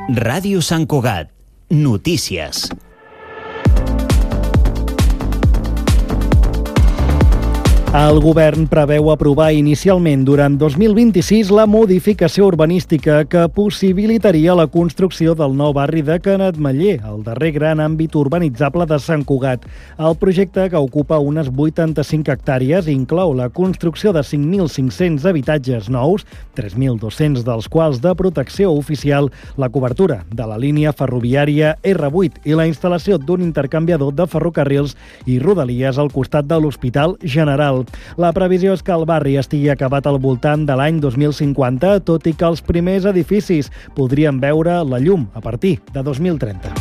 Ràdio Sant Cugat. Notícies. El govern preveu aprovar inicialment durant 2026 la modificació urbanística que possibilitaria la construcció del nou barri de Canetmeller, el darrer gran àmbit urbanitzable de Sant Cugat. El projecte, que ocupa unes 85 hectàrees, inclou la construcció de 5.500 habitatges nous, 3.200 dels quals de protecció oficial, la cobertura de la línia ferroviària R8 i la instal·lació d'un intercanviador de ferrocarrils i rodalies al costat de l'Hospital General. La previsió és que el barri estigui acabat al voltant de l'any 2050, tot i que els primers edificis podrien veure la llum a partir de 2030.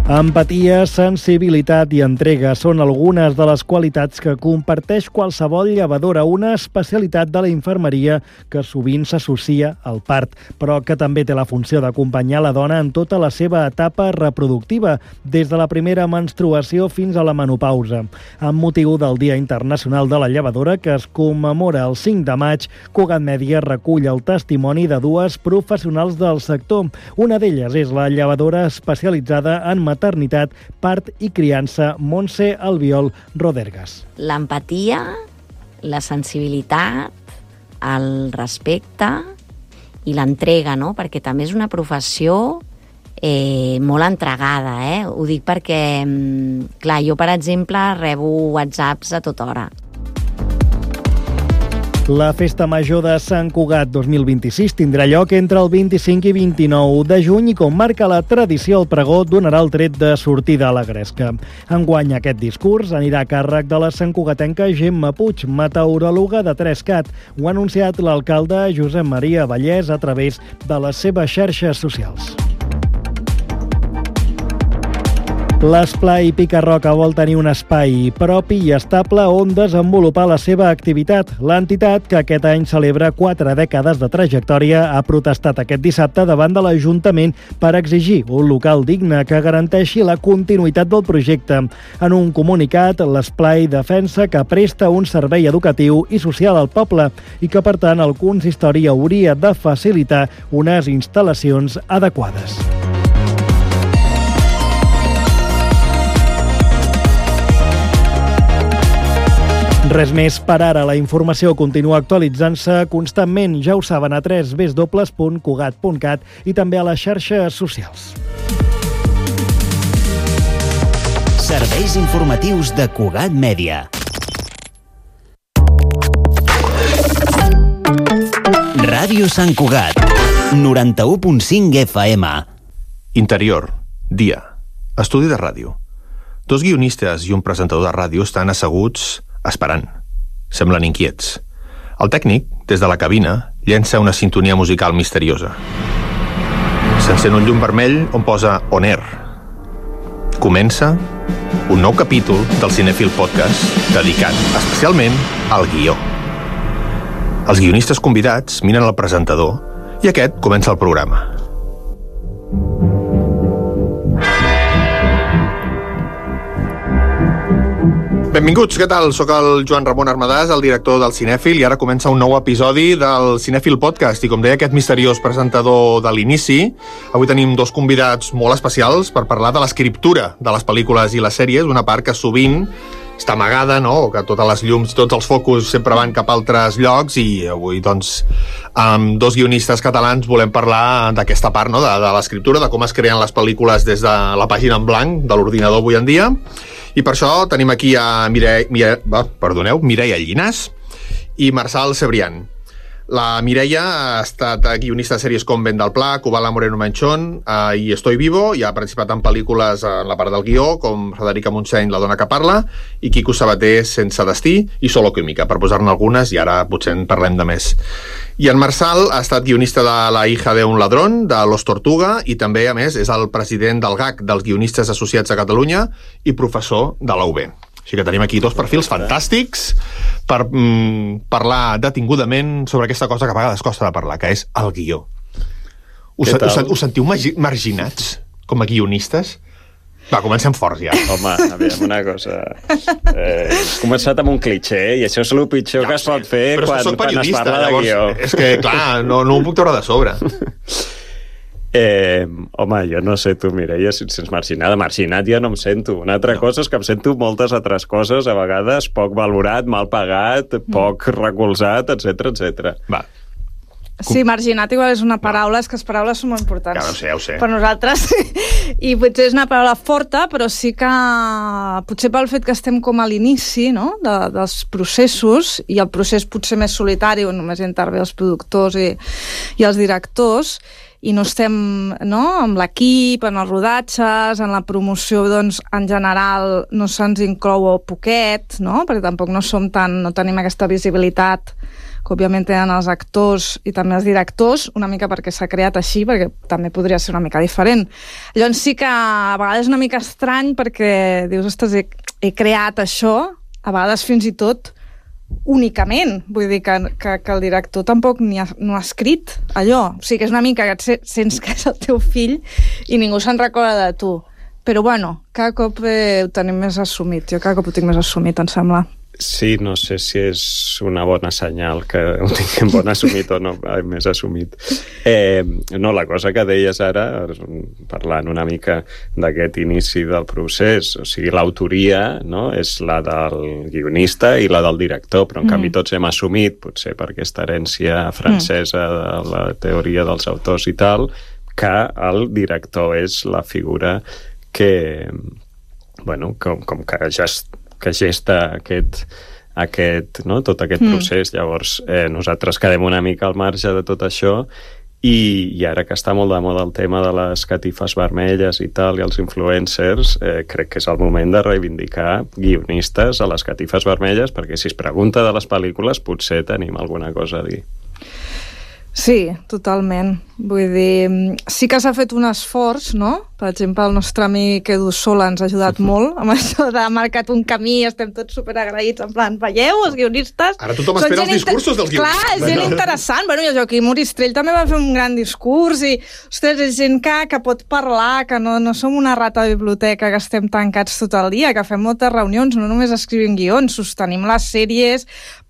Empatia, sensibilitat i entrega són algunes de les qualitats que comparteix qualsevol llevadora, una especialitat de la infermeria que sovint s'associa al part, però que també té la funció d'acompanyar la dona en tota la seva etapa reproductiva, des de la primera menstruació fins a la menopausa. Amb motiu del Dia Internacional de la Llevadora, que es commemora el 5 de maig, Cugat Mèdia recull el testimoni de dues professionals del sector. Una d'elles és la llevadora especialitzada en maternitat, part i criança, Montse Albiol Rodergas. L'empatia, la sensibilitat, el respecte i l'entrega, no? Perquè també és una professió molt entregada, Ho dic perquè, clar, jo, per exemple, rebo whatsapps a tota hora. La Festa Major de Sant Cugat 2026 tindrà lloc entre el 25 i 29 de juny i, com marca la tradició, el pregó donarà el tret de sortida a la gresca. Enguany aquest discurs anirà a càrrec de la santcugatenca Gemma Puig, meteoròloga de 3CAT. Ho ha anunciat l'alcalde Josep Maria Vallès a través de les seves xarxes socials. L'Esplai Pica-Roca vol tenir un espai propi i estable on desenvolupar la seva activitat. L'entitat, que aquest any celebra 4 dècades de trajectòria, ha protestat aquest dissabte davant de l'Ajuntament per exigir un local digne que garanteixi la continuïtat del projecte. En un comunicat, l'Esplai defensa que presta un servei educatiu i social al poble i que, per tant, el consistori hauria de facilitar unes instal·lacions adequades. Res més per ara. La informació continua actualitzant-se constantment. Ja ho saben, a www.cugat.cat i també a les xarxes socials. Serveis informatius de Cugat Mèdia. Ràdio Sant Cugat, 91.5 FM. Interior, dia. Estudi de ràdio. Dos guionistes i un presentador de ràdio estan asseguts esperant. Semblen inquiets. El tècnic, des de la cabina, llença una sintonia musical misteriosa. S'encén un llum vermell on posa On Air. Comença un nou capítol del Cinèfil Podcast dedicat especialment al guió. Els guionistes convidats miren el presentador i aquest comença el programa. Benvinguts, què tal? Soc el Joan Ramon Armadàs, el director del Cinèfil, i ara comença un nou episodi del Cinèfil Podcast. I com deia aquest misteriós presentador de l'inici, avui tenim dos convidats molt especials per parlar de l'escriptura de les pel·lícules i les sèries, una part que sovint està amagada, no? Que totes les llums, tots els focus sempre van cap a altres llocs, i avui, doncs, amb dos guionistes catalans volem parlar d'aquesta part, no? De l'escriptura, de com es creen les pel·lícules des de la pàgina en blanc de l'ordinador avui en dia. I per això tenim aquí a Mireia Llinàs i Marçal Cebrián. La Mireia ha estat guionista de sèries com Vent del Pla, Cubala Moreno Manchón i Estoy Vivo, i ha participat en pel·lícules en la part del guió, com Frederica Montseny, La dona que parla, i Quico Sabater, Sense destí, i Solo Química, per posar-ne algunes, i ara potser en parlem de més. I en Marçal ha estat guionista de La hija de un ladrón, de Los Tortuga, i també, a més, és el president del GAC, dels Guionistes Associats a Catalunya, i professor de la UB. Així que tenim aquí dos perfils fantàstics per parlar detingudament sobre aquesta cosa que a vegades costa de parlar, que és el guió. Us sentiu marginats com a guionistes? Va, comencem forts ja. Home, aviam, una cosa. Has començat amb un cliché, i això és el pitjor que es pot fer quan es parla de guió. És que, clar, no ho puc treure de sobre. Home, jo no sé tu, Mireia, si et sents marginada. Marginat ja no em sento. Una altra cosa és que em sento moltes altres coses, a vegades poc valorat, mal pagat, poc recolzat, etc. Va. Sí, marginat igual és una paraula, és que les paraules són molt importants. Ja ho sé. Per nosaltres. I potser és una paraula forta, però sí que potser pel fet que estem com a l'inici, no?, dels processos, i el procés potser més solitari, on només hi intervé els productors i els directors, i no estem, no?, amb l'equip, en els rodatges, en la promoció, doncs, en general, no se'ns inclou poquet, no?, perquè tampoc no tenim aquesta visibilitat que òbviament tenen els actors i també els directors, una mica perquè s'ha creat així, perquè també podria ser una mica diferent. Llavors sí que a vegades és una mica estrany perquè dius, ostres, he creat això, a vegades fins i tot únicament, vull dir que el director tampoc no ha escrit allò, o sigui que és una mica que sents que és el teu fill i ningú se'n recorda de tu, però bueno, cada cop ho tenim més assumit, jo cada cop ho tinc més assumit, em sembla. Sí, no sé si és una bona senyal que ho tinguem bon assumit o no, més assumit. No, la cosa que deies ara, parlant una mica d'aquest inici del procés, o sigui, l'autoria, no?, és la del guionista i la del director, però en canvi tots hem assumit, potser per aquesta herència francesa de la teoria dels autors i tal, que el director és la figura que, bueno, com que gesta tot aquest procés. Llavors nosaltres quedem una mica al marge de tot això i ara que està molt de moda el tema de les catifes vermelles i tal, i els influencers, crec que és el moment de reivindicar guionistes a les catifes vermelles, perquè si es pregunta de les pel·lícules potser tenim alguna cosa a dir. Sí, totalment. Vull dir, sí que s'ha fet un esforç, no? Per exemple, el nostre amic Edu Sola ens ha ajudat molt amb això de marcat un camí, estem tots superagraïts, en plan, veieu, els guionistes... Ara tothom espera els discursos dels guionistes. Clar, és gent interessant. Bueno, i el Joaquim Moristrell també va fer un gran discurs i, ostres, és gent que pot parlar, que no som una rata de biblioteca que estem tancats tot el dia, que fem moltes reunions, no només escrivim guions, sostenim les sèries,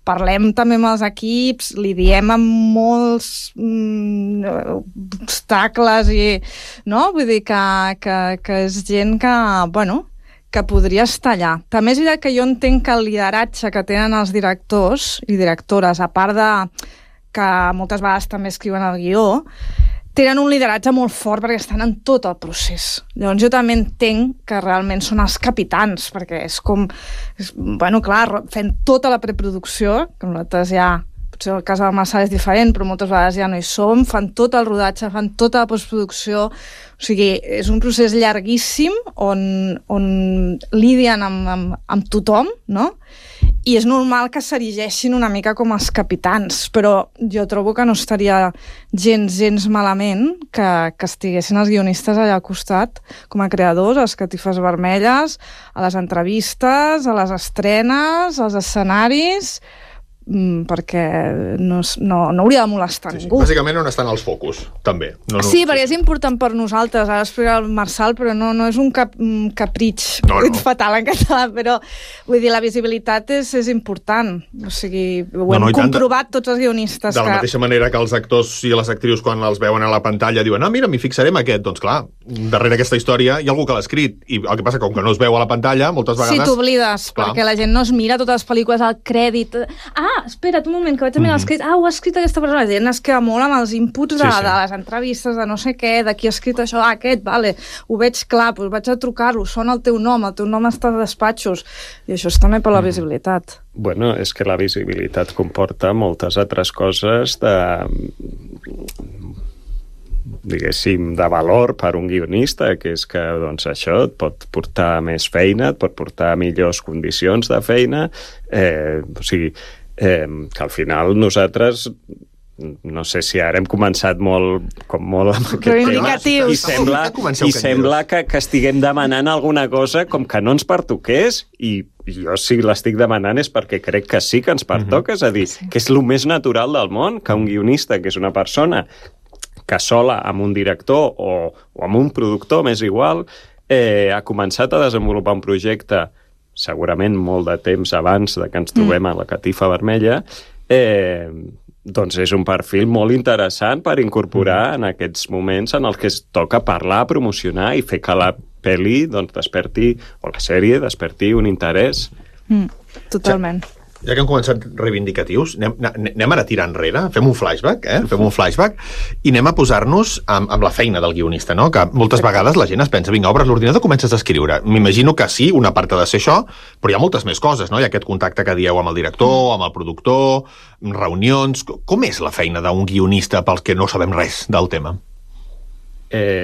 parlem també amb els equips, li diem amb molts obstacles i, no? Vull dir que és gent que, bueno, que podria estar allà. També és veritat que jo entenc que el lideratge que tenen els directors i directores, a part de que moltes vegades també escriuen el guió, tenen un lideratge molt fort perquè estan en tot el procés. Llavors jo també entenc que realment són els capitans, perquè és com... bueno, clar, fent tota la preproducció, que nosaltres ja... potser el cas del Marçal és diferent, però moltes vegades ja no hi som, fan tot el rodatge, fan tota la postproducció, o sigui, és un procés llarguíssim on lidien amb tothom, no? I és normal que s'erigeixin una mica com els capitans, però jo trobo que no estaria gens malament que estiguessin els guionistes allà al costat com a creadors, a les catifes vermelles, a les entrevistes, a les estrenes, als escenaris, perquè no hauria de molestar ningú. Bàsicament on estan els focus, també. Sí, perquè és important per nosaltres, ara explica el Marçal, però no és un capritx, fatal en català, però vull dir, la visibilitat és important, o sigui, ho hem comprovat tots els guionistes. De la mateixa manera que els actors i les actrius quan els veuen a la pantalla diuen, mira, m'hi fixaré en aquest, doncs clar, darrere aquesta història hi ha algú que l'ha escrit, i el que passa com que no es veu a la pantalla, moltes vegades... Sí, t'oblides, perquè la gent no es mira totes les pel·lícules al crèdit. Espera't un moment, que vaig a mirar l'escrit. Ho ha escrit aquesta persona. La gent es queda molt amb els inputs de les entrevistes, de no sé què, de qui ha escrit això, aquest, vale, ho veig clar, doncs vaig a trucar-lo, sona el teu nom està als despatxos. I això és també per la visibilitat. Bueno, és que la visibilitat comporta moltes altres coses diguéssim, de valor per un guionista, que és que doncs, això et pot portar més feina, et pot portar millors condicions de feina, o sigui, que al final nosaltres, no sé si ara hem començat molt amb aquest tema, i sembla que estiguem demanant alguna cosa com que no ens pertoqués, i jo si l'estic demanant és perquè crec que sí que ens pertoca, és a dir, que és el més natural del món, que un guionista, que és una persona que sola amb un director o amb un productor, m'és igual, ha començat a desenvolupar un projecte segurament molt de temps abans de que ens trobem a la Catifa Vermella, doncs és un perfil molt interessant per incorporar en aquests moments en els que es toca parlar, promocionar i fer que la pel·li doncs, desperti, o la sèrie desperti un interès. Totalment. Ja que hem començat reivindicatius, anem ara a tirar enrere, fem un flashback, fem un flashback i anem a posar-nos amb la feina del guionista, no? Que moltes vegades la gent es pensa, vinga, obres l'ordinador, comences a escriure. M'imagino que sí, una part ha de ser això, però hi ha moltes més coses, no? Hi ha aquest contacte que dieu amb el director, amb el productor, reunions... Com és la feina d'un guionista pels que no sabem res del tema?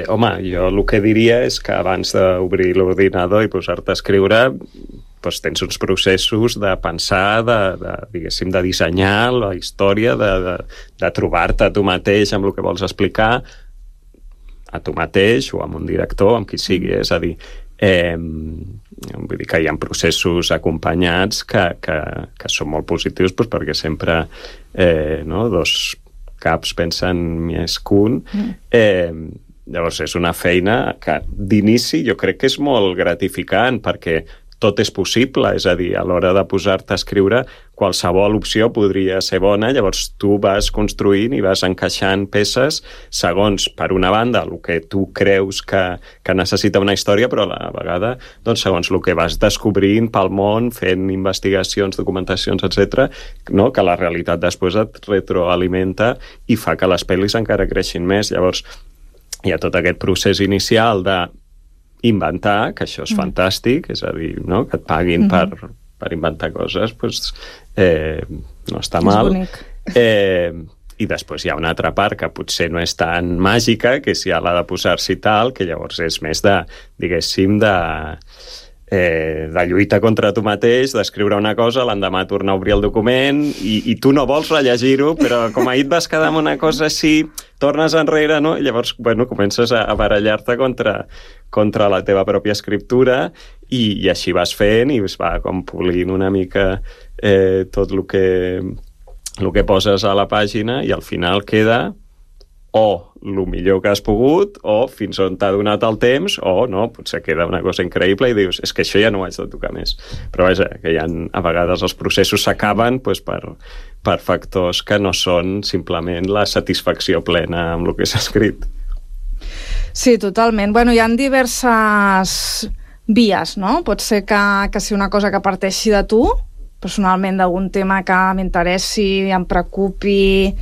Home, jo el que diria és que abans d'obrir l'ordinador i posar-te a escriure doncs tens uns processos de pensar, diguéssim, de dissenyar la història, de trobar-te a tu mateix amb el que vols explicar, a tu mateix o amb un director, amb qui sigui. És a dir, vull dir que hi ha processos acompanyats que són molt positius doncs, perquè sempre dos caps pensen més que un. Llavors és una feina que d'inici jo crec que és molt gratificant perquè tot és possible, és a dir, a l'hora de posar-te a escriure qualsevol opció podria ser bona, llavors tu vas construint i vas encaixant peces segons, per una banda, el que tu creus que necessita una història, però a la vegada, doncs, segons el que vas descobrint pel món, fent investigacions, documentacions, etc., no? Que la realitat després et retroalimenta i fa que les pel·lis encara creixin més. Llavors, hi ha tot aquest procés inicial de inventar, que això és fantàstic, és a dir, no? Que et paguin per inventar coses, doncs, no està mal. És bonic. I després hi ha una altra part que potser no és tan màgica, que és ja la de posar-s'hi tal, que llavors és més de, diguéssim, de lluita contra tu mateix, d'escriure una cosa, l'endemà tornar a obrir el document i tu no vols rellegir-ho, però com ahir et vas quedar amb una cosa així, tornes enrere, no? I llavors, bueno, comences a barallar-te contra la teva pròpia escriptura i així vas fent i es va com polint una mica tot el que poses a la pàgina i al final queda o el millor que has pogut, o fins on t'ha donat el temps, o no, potser queda una cosa increïble i dius, és que això ja no ho haig de tocar més. Però vaja, que a vegades els processos s'acaben doncs, per factors que no són simplement la satisfacció plena amb el que s'ha escrit. Sí, totalment. Bueno, hi ha diverses vies, no? Pot ser que sigui una cosa que parteixi de tu, personalment d'algun tema que m'interessi, em preocupi.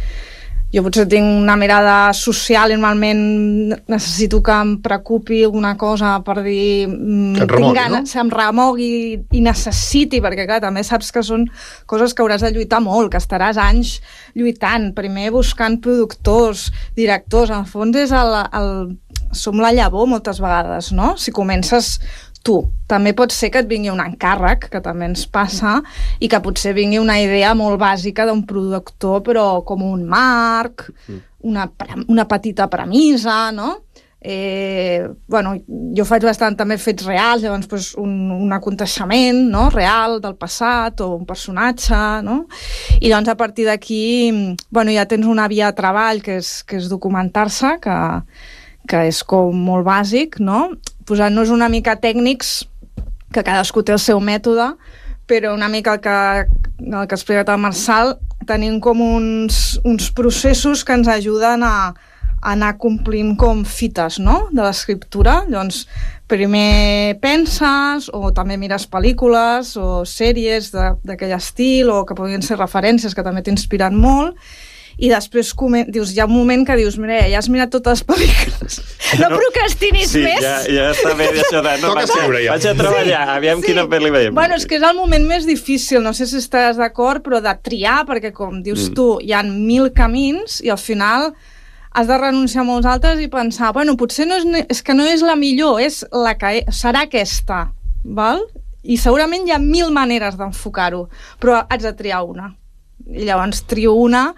Jo potser tinc una mirada social i normalment necessito que em preocupi alguna cosa per dir... remogui, ganes, no? Em remogui i necessiti, perquè clar, també saps que són coses que hauràs de lluitar molt, que estaràs anys lluitant, primer buscant productors, directors, en el fons és som la llavor moltes vegades, no? Si comences tu. També pot ser que et vingui un encàrrec, que també ens passa, i que potser vingui una idea molt bàsica d'un productor, però com un marc, una petita premissa, no? Bueno, jo faig bastant també fets reals, llavors pues, un aconteixement, no? Real del passat o un personatge, no? I llavors a partir d'aquí bueno, ja tens una via de treball que és documentar-se, que és com molt bàsic, no? Posant-nos una mica tècnics, que cadascú té el seu mètode, però una mica el que ha explicat el Marçal, tenim com uns processos que ens ajuden a anar complint com fites, no?, de l'escriptura. Llavors, primer penses, o també mires pel·lícules o sèries d'aquell estil, o que podrien ser referències que també t'inspiren molt, i després dius, hi ha un moment que dius, mira, ja has mirat totes les pel·lícules, no procrastinis més. Sí, ja està bé això de... No, vaig a treballar, aviam quina pel·li veiem. Bueno, és que és el moment més difícil, no sé si estàs d'acord, però de triar, perquè com dius tu, hi ha 1000 camins i al final has de renunciar a molts altres i pensar, bueno, potser és que no és la millor, és la que serà aquesta, val? I segurament hi ha 1000 maneres d'enfocar-ho, però haig de triar una. I llavors trio una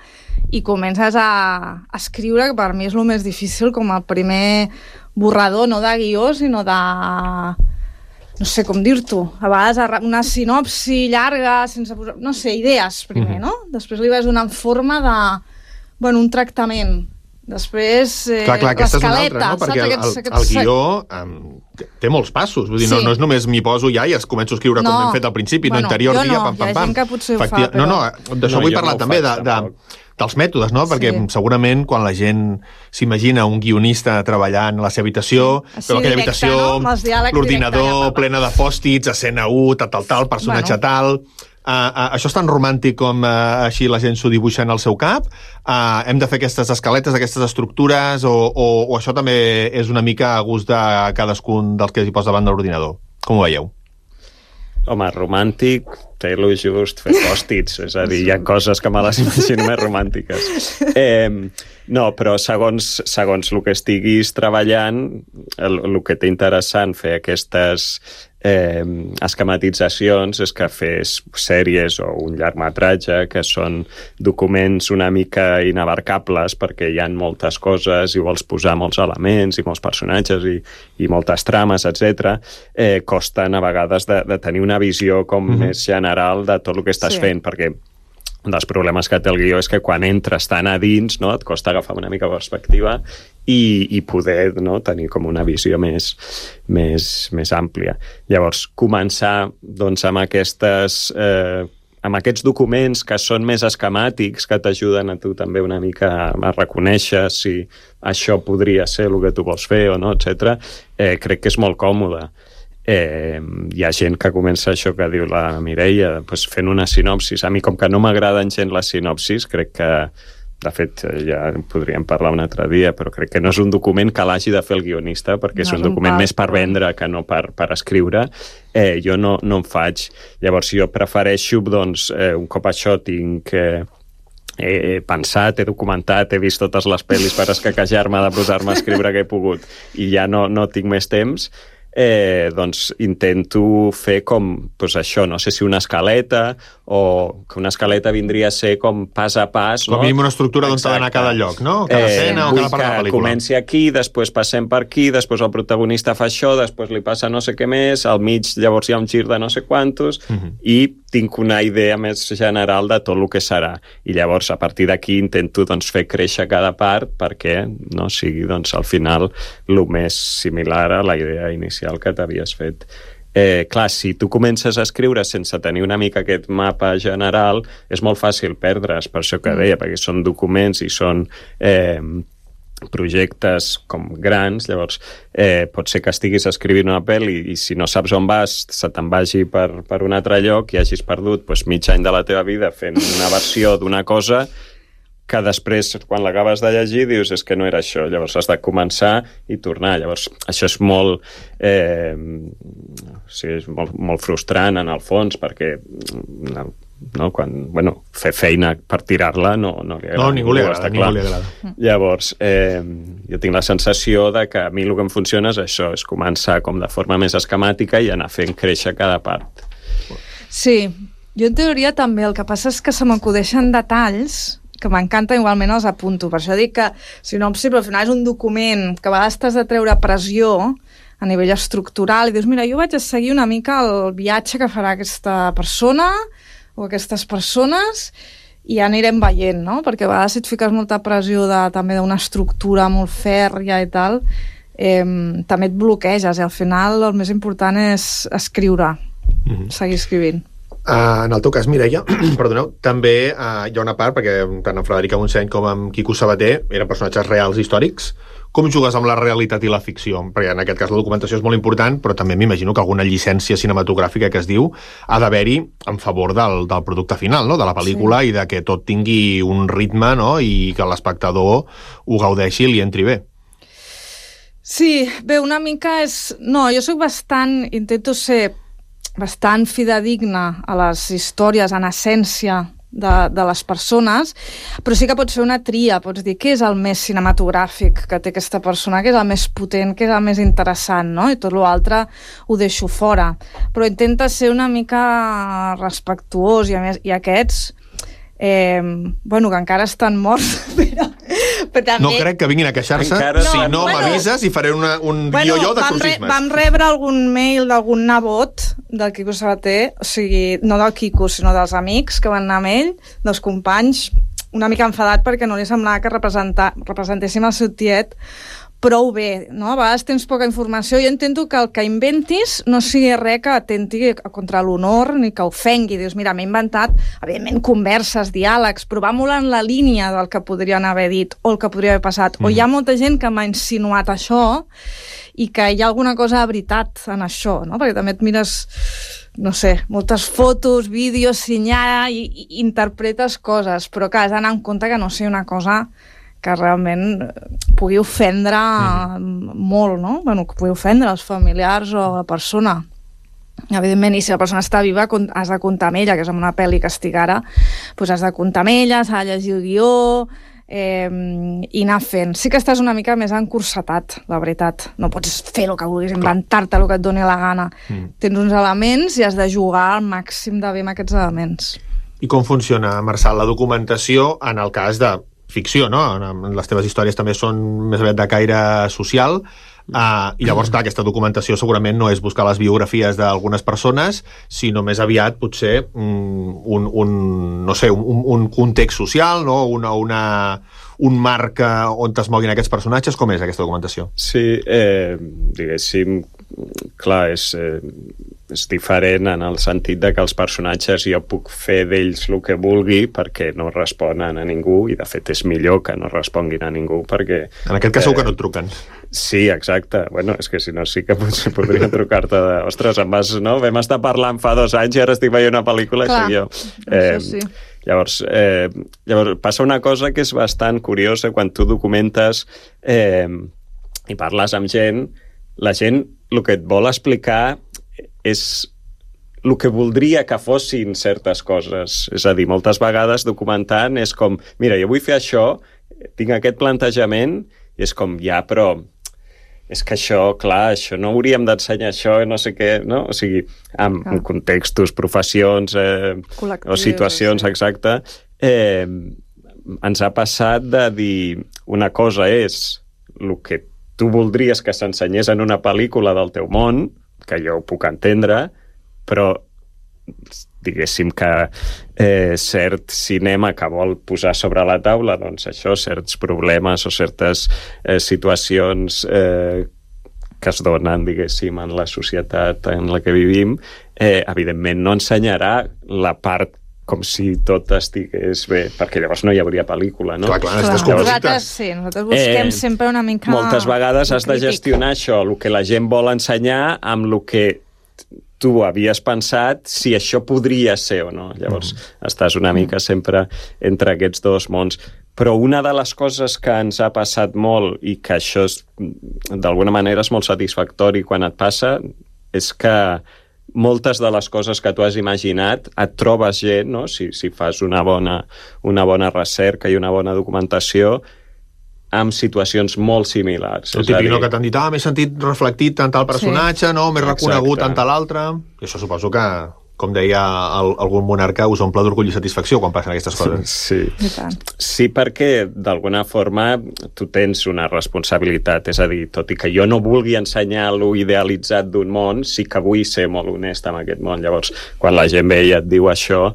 i comences a escriure, que per mi és el més difícil, com el primer borrador, no de guió, sinó de... no sé com dir-t'ho. A vegades una sinopsi llarga, sense posar... no sé, idees primer, no? Després li vas donant forma de... bueno, un tractament. Després, clar, aquesta és una altra, l'escaleta, no? Perquè el guió té molts passos. Vull dir, no és només m'hi poso ja i es començo a escriure com hem fet al principi, interior dia, pam, pam, pam. Hi ha gent que potser ho fa, però... No, d'això vull parlar també, dels mètodes, no? Perquè segurament quan la gent s'imagina un guionista treballant a la seva habitació, però aquella habitació, l'ordinador plena de pòstits, escena 1, tal, personatge tal... això és tan romàntic com així la gent s'ho dibuixa en el seu cap? Hem de fer aquestes escaletes, aquestes estructures, o això també és una mica a gust de cadascun dels que s'hi posa davant de l'ordinador? Com ho veieu? Home, romàntic, té-lo just, fer pòstits, és a dir, hi ha coses que me les imagino més romàntiques. No, però segons el que estiguis treballant, el que té interessant fer aquestes esquematitzacions és que fes sèries o un llargmetratge que són documents una mica inabarcables perquè hi ha moltes coses i vols posar molts elements i molts personatges i moltes trames, etc. Costen a vegades de tenir una visió com més general de tot el que estàs fent, perquè un dels problemes que té el guió és que quan entres tan a dins, no, et costa agafar una mica perspectiva i poder, no, tenir com una visió més àmplia. Llavors, començar doncs, amb aquests documents que són més esquemàtics, que t'ajuden a tu també una mica a reconèixer si això podria ser el que tu vols fer o no, etc. Crec que és molt còmode. Hi ha gent que comença això que diu la Mireia, doncs fent una sinopsis. A mi, com que no m'agraden gent les sinopsis, crec que, de fet, ja en podríem parlar un altre dia, però crec que no és un document que l'hagi de fer el guionista, perquè és un document més per vendre que no per escriure. Jo no en faig. Llavors, jo prefereixo, doncs, un cop això tinc... he pensat, he documentat, he vist totes les pel·lis per escaquejar-me de posar-me a escriure que he pogut i ja no tinc més temps, doncs intento fer com, doncs això, no sé si una escaleta o que una escaleta vindria a ser com pas a pas, com a mínim una estructura d'on s'ha d'anar cada lloc, no? Cada escena o cada part de la pel·lícula. Comenci aquí, després passem per aquí, després el protagonista fa això, després li passa no sé què més, al mig llavors hi ha un gir de no sé quantos i tinc una idea més general de tot el que serà. I llavors a partir d'aquí intento doncs, fer créixer cada part perquè no sigui doncs, al final el més similar a la idea inicial que t'havies fet. Clar, si tu comences a escriure sense tenir una mica aquest mapa general, és molt fàcil perdre's, per això que deia, perquè són documents i són projectes com grans, llavors pot ser que estiguis escrivint una pel·li i si no saps on vas, se te'n vagi per un altre lloc i hagis perdut doncs, mig any de la teva vida fent una versió d'una cosa que després, quan l'acabes de llegir, dius, és que no era això. Llavors has de començar i tornar. Llavors, això és molt... és molt frustrant, en el fons, perquè no, quan, fer feina per tirar-la no li agrada. No, ningú li agrada. Llavors, jo tinc la sensació de que a mi el que em funciona és això, és començar com de forma més esquemàtica i anar fent créixer cada part. Sí, jo en teoria també. El que passa és que se m'acudeixen detalls que m'encanta, igualment els apunto. Per això dic que sinopsi, però al final és un document que a vegades t'has de treure pressió a nivell estructural i dius, mira, jo vaig a seguir una mica el viatge que farà aquesta persona o aquestes persones i ja anirem veient, no? Perquè a vegades si et fiques molta pressió també d'una estructura molt fèrria i tal, també et bloqueges i al final el més important és escriure, seguir escrivint. En el teu cas, Mireia, perdoneu, també hi ha una part, perquè tant en Frederica Montseny com en Quico Sabater eren personatges reals històrics. Com jugues amb la realitat i la ficció? Perquè en aquest cas la documentació és molt important, però també m'imagino que alguna llicència cinematogràfica que es diu ha d'haver-hi en favor del producte final, no? De la pel·lícula i de que tot tingui un ritme, no? I que l'espectador ho gaudeixi i li entri bé. Sí, bé, una mica és... No, jo soc intento ser bastant fidedigna a les històries en essència de les persones, però sí que pots fer una tria, pots dir què és el més cinematogràfic que té aquesta persona, què és el més potent, què és el més interessant, no? I tot l'altre ho deixo fora. Però intenta ser una mica respectuós i a més, i aquests que encara estan morts, però també... No crec que vinguin a queixar-se. Si no m'avises i faré un guió de crucismes. Vam rebre algun mail d'algun nebot del Quico Sabater, o sigui, no del Quico, sinó dels amics que van anar amb ell, dels companys, una mica enfadat perquè no li semblava que representéssim el seu tiet prou bé, no? A vegades tens poca informació. Jo intento que el que inventis no sigui res que atenti contra l'honor ni que ofengui. Dius, mira, m'he inventat, evidentment, converses, diàlegs, però va molt en la línia del que podrien haver dit o el que podria haver passat. O hi ha molta gent que m'ha insinuat això i que hi ha alguna cosa de veritat en això, no? Perquè també et mires, no sé, moltes fotos, vídeos, senyala i interpretes coses, però que has d'anar en compte que no sigui una cosa que realment pugui ofendre molt, no? Bueno, que pugui ofendre els familiars o la persona. Evidentment, i si la persona està viva, has de comptar amb ella, que és en una pel·li que estic ara, doncs has de comptar amb ella, s'ha de llegir el guió i anar fent. Sí que estàs una mica més encursetat, la veritat. No pots fer el que vulguis, inventar-te el que et doni la gana. Tens uns elements i has de jugar al màxim de bé amb aquests elements. I com funciona, Marçal, la documentació en el cas de ficció, no? Les teves històries també són més aviat de caire social, i llavors, clar, aquesta documentació segurament no és buscar les biografies d'algunes persones, sinó més aviat potser un context social, no? Un marc on es moguin aquests personatges. Com és aquesta documentació? Sí, diguéssim, clar, és diferent en el sentit de que els personatges jo puc fer d'ells el que vulgui perquè no responen a ningú, i de fet és millor que no responguin a ningú perquè... En aquest cas segur que no et truquen. Sí, exacte. Bueno, és que si no sí que potser podria trucar-te de... Ostres, no? Vam estar parlant fa 2 anys i ara estic veient una pel·lícula. Clar, i jo. Sí. Llavors, passa una cosa que és bastant curiosa quan tu documentes i parles amb gent. La gent el que et vol explicar és el que voldria que fossin certes coses. És a dir, moltes vegades documentant és com, mira, jo vull fer això, tinc aquest plantejament, i és com, ja, però és que això, clar, això no hauríem d'ensenyar això, no sé què, no? O sigui, en contextos, professions o situacions, exacte, ens ha passat de dir una cosa és el que tu voldries que s'ensenyés en una pel·lícula del teu món, que jo ho puc entendre, però diguéssim que cert cinema que vol posar sobre la taula, doncs això, certs problemes o certes situacions que es donen, diguéssim, en la societat en la que vivim, evidentment no ensenyarà la part com si tot estigués bé, perquè llavors no hi hauria pel·lícula, no? Clar, nosaltres busquem sempre una mica... Moltes vegades has de gestionar això, el que la gent vol ensenyar amb el que tu havies pensat, si això podria ser o no. Llavors estàs una mica sempre entre aquests dos mons. Però una de les coses que ens ha passat molt i que això d'alguna manera és molt satisfactori quan et passa és que moltes de les coses que tu has imaginat et trobes gent, no? Si fas una bona recerca i una bona documentació amb situacions molt similars. El típic que t'han dit, m'he sentit reflectit tant tal personatge, no? M'he reconegut tant l'altre. I això suposo que, com deia algun monarca, us omple d'orgull i satisfacció quan passen aquestes coses. Sí, perquè d'alguna forma tu tens una responsabilitat, és a dir, tot i que jo no vulgui ensenyar lo idealitzat d'un món, sí que vull ser molt honest amb aquest món. Llavors, quan la gent ve i et diu això,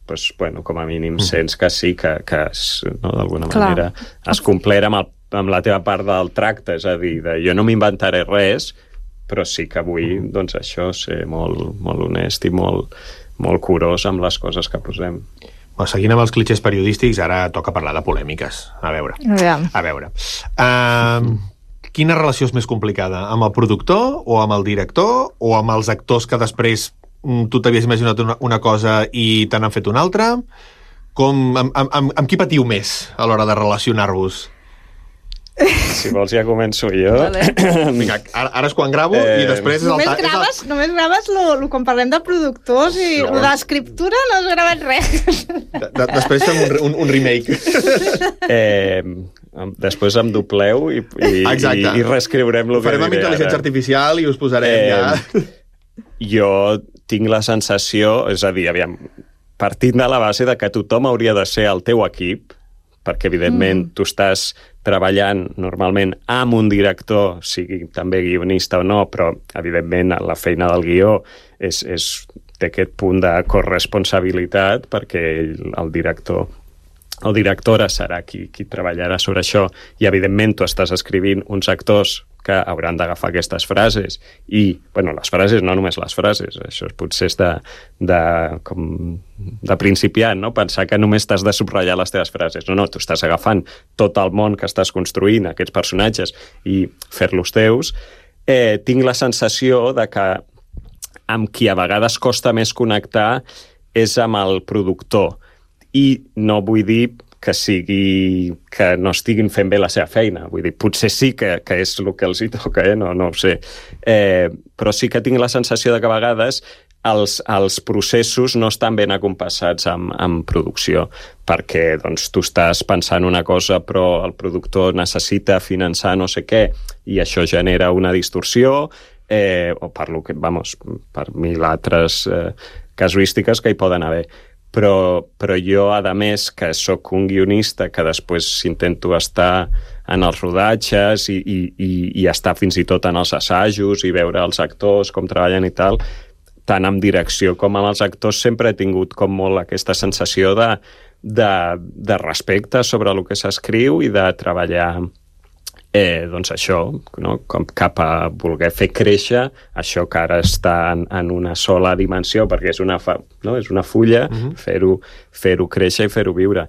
doncs, bueno, com a mínim sents que sí, que d'alguna manera has complert amb la teva part del tracte, és a dir, jo no m'inventaré res, però sí que vull, doncs això, ser molt, molt honest i molt, molt curós amb les coses que posem. Seguint amb els clitxers periodístics, ara toca parlar de polèmiques. A veure. Quina relació és més complicada? Amb el productor o amb el director o amb els actors que després tu t'havies imaginat una cosa i te n'han fet una altra? Amb qui patiu més a l'hora de relacionar-vos? Si vols ja començo jo. Vinga, ara és quan gravo i després... Només graves quan parlem de productors i l'escriptura no has gravat res. Després fem un remake. Després em dobleu i reescriurem el que diré. Farem amb intel·ligència artificial i us posarem ja... Jo tinc la sensació, és a dir, partint de la base de que tothom hauria de ser el teu equip, perquè evidentment tu estàs treballant normalment amb un director, sigui també guionista o no, però evidentment la feina del guió té aquest punt de corresponsabilitat perquè el director o directora serà qui treballarà sobre això, i evidentment tu estàs escrivint uns actors que hauran d'agafar aquestes frases i, bueno, les frases, no només les frases, això potser és de principiant, no? Pensar que només t'has de subratllar les teves frases. No, tu estàs agafant tot el món que estàs construint, aquests personatges, i fer-los teus. Tinc la sensació de que amb qui a vegades costa més connectar és amb el productor. I no vull dir que no estiguin fent bé la seva feina. Vull dir, potser sí que és el que els hi toca, no ho sé. Però sí que tinc la sensació de que a vegades els processos no estan ben acompassats amb producció, perquè doncs, tu estàs pensant una cosa però el productor necessita finançar no sé què i això genera una distorsió, o per mil altres casuístiques que hi poden haver. Però jo, a més, que sóc un guionista que després intento estar en els rodatges i estar fins i tot en els assajos i veure els actors, com treballen i tal, tant amb direcció com amb els actors sempre he tingut com molt aquesta sensació de respecte sobre el que s'escriu i de treballar doncs això, no? Com cap a voler fer créixer això que ara està en una sola dimensió, perquè és una fulla, fer-ho créixer i fer-ho viure.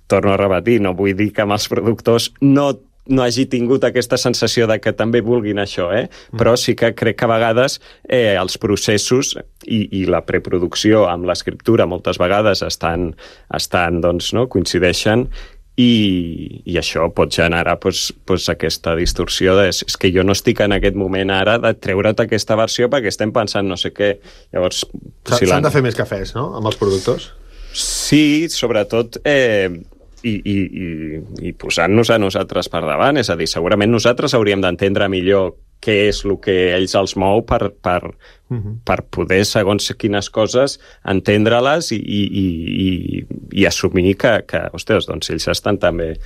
Torno a repetir, no vull dir que amb els productors no hagi tingut aquesta sensació de que també vulguin això, però sí que crec que a vegades els processos i la preproducció amb l'escriptura moltes vegades estan doncs, no? Coincideixen. I això pot generar aquesta distorsió és que jo no estic en aquest moment ara de treure't aquesta versió perquè estem pensant no sé què. Llavors, s'han de fer més cafès, no?, amb els productors? Sí, sobretot i posant-nos a nosaltres per davant, és a dir, segurament nosaltres hauríem d'entendre millor què és el que ells els mou per poder, segons quines coses, entendre-les i assumir que ostres, doncs ells estan també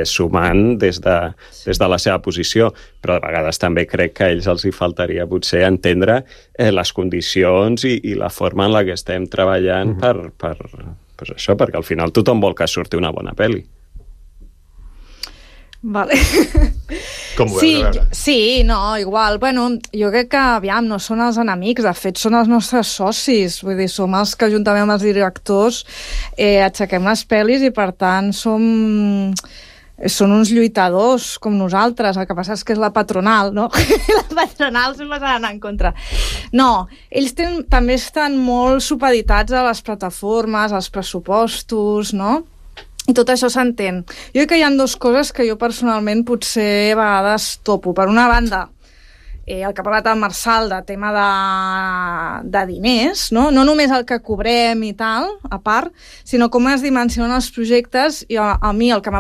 sumant des de la seva posició, però de vegades també crec que a ells els hi faltaria potser entendre les condicions i la forma en la que estem treballant per això, perquè al final tothom vol que surti una bona pel·li. Vale. Com ho veus, sí, no, igual. Bueno, jo crec que, aviam, no són els enemics, de fet són els nostres socis, vull dir, som els que juntament amb els directors aixequem les pel·lis i per tant són uns lluitadors com nosaltres, el que passa és que és la patronal, no? La patronal sempre s'ha d'anar en contra. No, ells també estan molt supeditats a les plataformes, als pressupostos, no? I tot això s'entén. Jo crec que hi ha dues coses que jo personalment potser a vegades topo. Per una banda, el que ha parlat el Marçal de tema de diners, no només el que cobrem i tal, a part, sinó com es dimensionen els projectes. I a mi el que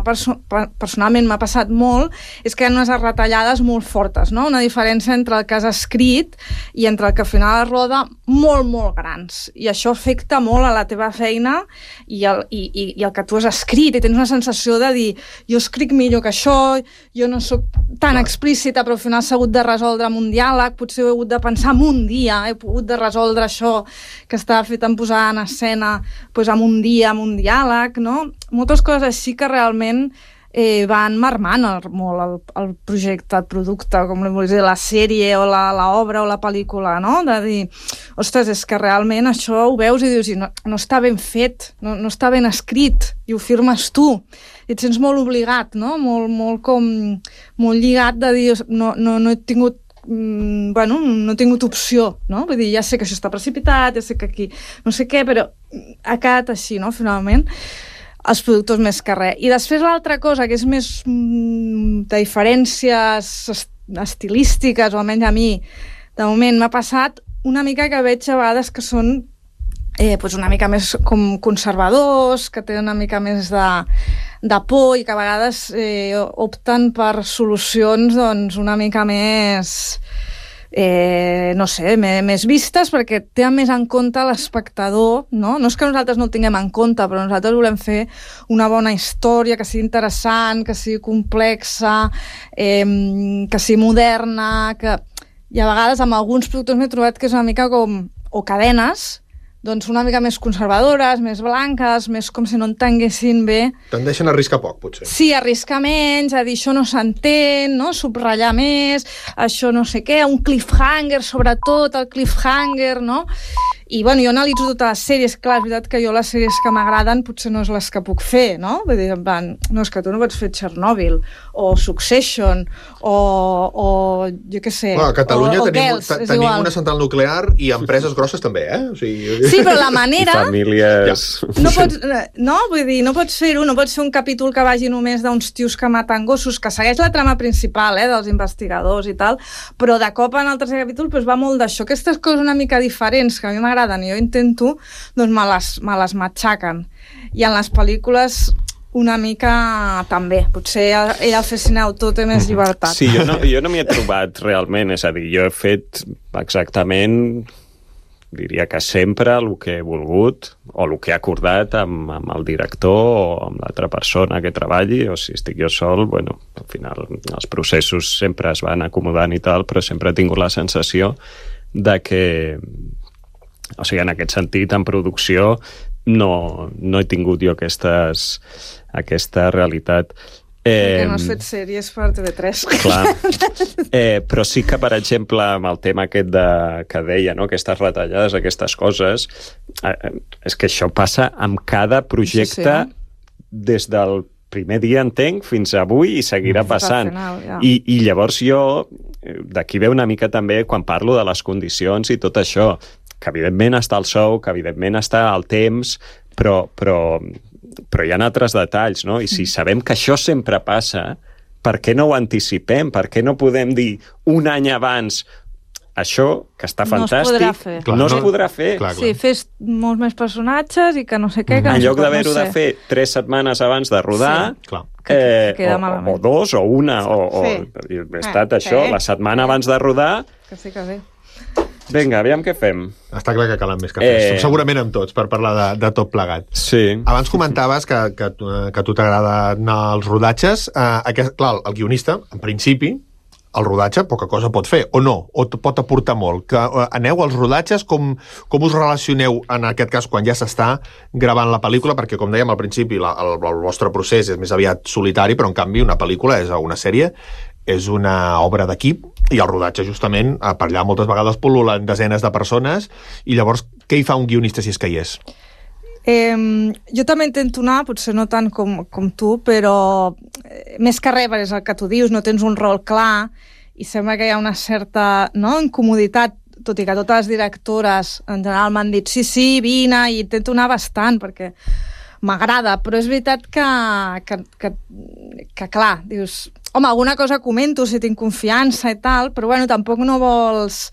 personalment m'ha passat molt és que hi ha unes retallades molt fortes, no? Una diferència entre el que has escrit i entre el que al final es roda molt, molt grans. I això afecta molt a la teva feina i el que tu has escrit, i tens una sensació de dir jo escric millor que això, jo no sóc tan explícita, però al final s'ha hagut de resoldre amb un diàleg, potser ho he hagut de pensar en un dia, he pogut de resoldre això que estava fet en posar en escena doncs amb un dia, amb un diàleg, no? Moltes coses així que realment van marmant molt el projecte, el producte, com li vols dir, la sèrie o l'obra o la pel·lícula, no? De dir, ostres, és que realment això ho veus i dius, no està ben fet, no està ben escrit, i ho firmes tu. I et sents molt obligat, no? Molt lligat de dir, no he tingut no he tingut opció, no? Vull dir, ja sé que això està precipitat, ja sé que aquí no sé què, però ha quedat així, no? Finalment, els productors més que res. I després l'altra cosa, que és més de diferències estilístiques, o almenys a mi, de moment m'ha passat una mica que veig a vegades que són una mica més com conservadors, que tenen una mica més de por i que a vegades opten per solucions doncs, una mica més no sé, més vistes, perquè tenen més en compte l'espectador, no? No és que nosaltres no el tinguem en compte, però nosaltres volem fer una bona història, que sigui interessant, que sigui complexa, que sigui moderna, i a vegades amb alguns productors m'he trobat que és una mica com, o cadenes, doncs una mica més conservadores, més blanques, més com si no entenguessin bé. Tendeixen a arriscar poc, potser. Sí, arriscar menys, a dir això no s'entén, no? Subratllar més, això no sé què, un cliffhanger, sobretot el cliffhanger, no? I, bueno, jo analitzo totes les sèries, clar, és veritat que jo les sèries que m'agraden potser no és les que puc fer, no? Vull dir, no, és que tu no pots fer Chernobyl, o Succession, o jo què sé, a Catalunya o tenim igual. Una central nuclear i empreses grosses també, eh? O sigui... Sí, però la manera... Famílies... No pots, no, vull dir, no pots fer-ho, no pots fer un capítol que vagi només d'uns tios que maten gossos, que segueix la trama principal, dels investigadors i tal, però de cop en el tercer capítol doncs va molt d'això. Aquestes coses una mica diferents que a mi m'agraden i jo intento, doncs me les matxaquen. I en les pel·lícules una mica també. Potser ell al fer cineautor té més llibertat. Sí, jo no m'hi he trobat realment, és a dir, jo he fet exactament, diria que sempre el que he volgut o el que he acordat amb el director o amb l'altra persona que treballi, o si estic jo sol, bueno, al final els processos sempre es van acomodant i tal, però sempre he tingut la sensació de que, o sigui, en aquest sentit, en producció no he tingut jo aquesta realitat. Perquè no has fet sèries per TV3. Clar. Però sí que, per exemple, amb el tema aquest que deia, no? Aquestes retallades, aquestes coses, és que això passa amb cada projecte des del primer dia, entenc, fins avui, i seguirà passant. Final, ja. I llavors jo, d'aquí ve una mica també quan parlo de les condicions i tot això, que evidentment està el sou, que evidentment està el temps, però hi ha altres detalls, no? I si sabem que això sempre passa, per què no ho anticipem? Per què no podem dir un any abans això, que està fantàstic, no es podrà fer? Clar. Sí, fes molts més personatges i que no sé què... En lloc d'haver-ho de fer 3 setmanes abans de rodar, o 2, o 1, o he estat això, la setmana abans de rodar... Que sí, que sí. Vinga, aviam què fem. Està clar que calen més cafès. Segurament amb tots, per parlar de tot plegat. Sí. Abans comentaves que a tu t'agrada anar als rodatges. Clar, el guionista, en principi, el rodatge poca cosa pot fer, o no, o pot aportar molt. Que aneu als rodatges, com us relacioneu en aquest cas quan ja s'està gravant la pel·lícula, perquè com dèiem al principi el vostre procés és més aviat solitari, però en canvi una pel·lícula és una sèrie, és una obra d'equip, i el rodatge justament, per allà moltes vegades pol·lulen desenes de persones, i llavors què hi fa un guionista si és que hi és? Jo també intento anar, potser no tant com tu, però més que res, és el que tu dius, no tens un rol clar i sembla que hi ha una certa incomoditat, tot i que totes les directores en general m'han dit sí, vine, i intento anar bastant perquè m'agrada, però és veritat que clar, dius, home, alguna cosa comento si tinc confiança i tal, però bueno, tampoc no vols...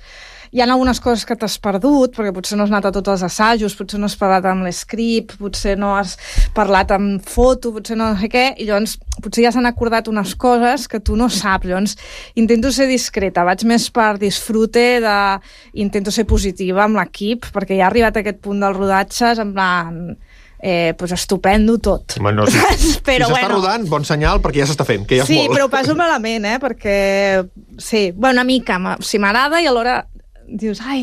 Hi ha algunes coses que t'has perdut, perquè potser no has anat a tots els assajos, potser no has parlat amb l'escript, potser no has parlat amb foto, potser no sé què, i llavors potser ja s'han acordat unes coses que tu no saps. Llavors intento ser discreta, vaig més per disfrute, intento ser positiva amb l'equip, perquè ja ha arribat a aquest punt dels rodatges, en plan... pues estupendo tot. Bueno, si s'està rodant, bon senyal, perquè ja s'està fent, que ja és molt. Sí, però ho passo malament, perquè sí, una mica, si m'agrada, i alhora dius, a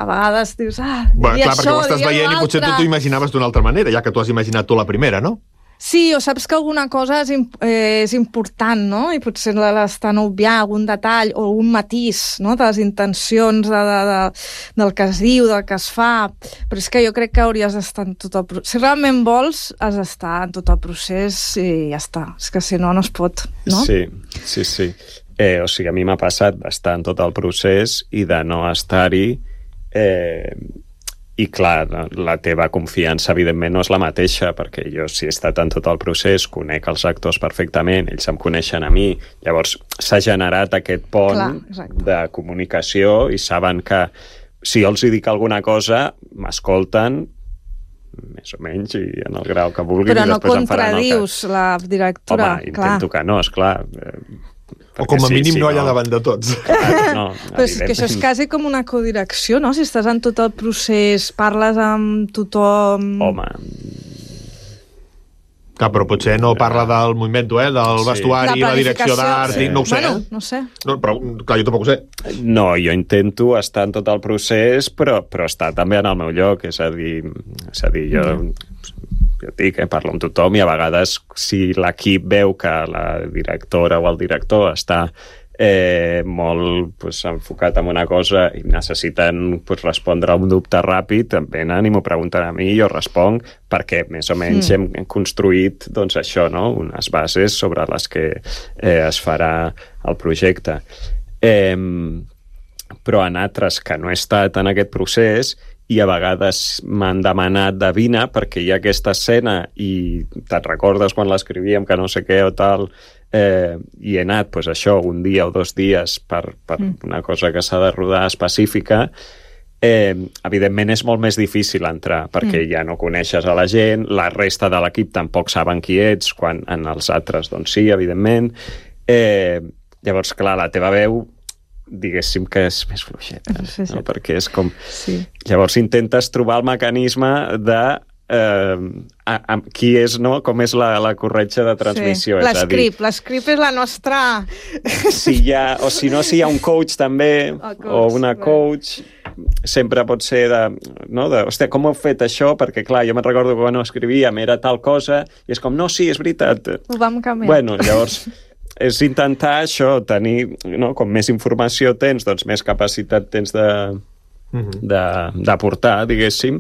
vegades dius, bueno, clar, perquè ho estàs veient i potser tu t'ho imaginaves d'una altra manera, ja que tu has imaginat tu la primera, no? Sí, o saps que alguna cosa és important, no? I potser l'estan obviant algun detall o un matís, no? De les intencions del que es diu, del que es fa. Però és que jo crec que hauries d'estar en tot el procés. Si realment vols, has d'estar en tot el procés i ja està. És que si no, no es pot, no? Sí. O sigui, a mi m'ha passat d'estar en tot el procés i de no estar-hi... I clar, la teva confiança evidentment no és la mateixa, perquè jo si he estat en tot el procés, conec els actors perfectament, ells em coneixen a mi, llavors s'ha generat aquest pont de comunicació i saben que si jo els dic alguna cosa, m'escolten més o menys i en el grau que vulguin. Però i no contradius la directora. Home, intento que no, esclar. O com a mínim no allà davant de tots. No, però és que això és quasi com una codirecció, no? Si estàs en tot el procés, parles amb tothom... Home... Clar, però potser no parla del moviment, del vestuari, la direcció d'art, no ho sé. Bueno, no sé. No, però, clar, jo tampoc ho sé. No, jo intento estar en tot el procés, però estar també en el meu lloc, és a dir jo dic, parlo amb tothom i a vegades si l'equip veu que la directora o el director està molt enfocat en una cosa i necessiten respondre a un dubte ràpid, venen i m'ho pregunten a mi i jo responc, perquè més o menys hem construït això, no? Unes bases sobre les que es farà el projecte. Però en altres que no he estat en aquest procés i a vegades m'han demanat de vine perquè hi ha aquesta escena i te'n recordes quan l'escrivíem que no sé què o tal, i he anat això un dia o 2 dies per una cosa que s'ha de rodar específica, evidentment és molt més difícil entrar perquè ja no coneixes a la gent, la resta de l'equip tampoc saben qui ets, quan en els altres doncs sí, evidentment. Llavors, clar, la teva veu diguéssim que és més fluixeta, no? Perquè és com... Sí. Llavors intentes trobar el mecanisme de qui és, no? Com és la corretja de transmissió. Sí. L'escript és la nostra... Si hi ha, o si no, si hi ha un coach també, o una coach, sempre pot ser hòstia, com heu fet això? Perquè, clar, jo me'n recordo que quan ho escrivíem era tal cosa, i és com, no, sí, és veritat. Ho vam canviar. Bueno, llavors... és intentar això, tenir, no? Com més informació tens, doncs més capacitat tens d'aportar, diguéssim,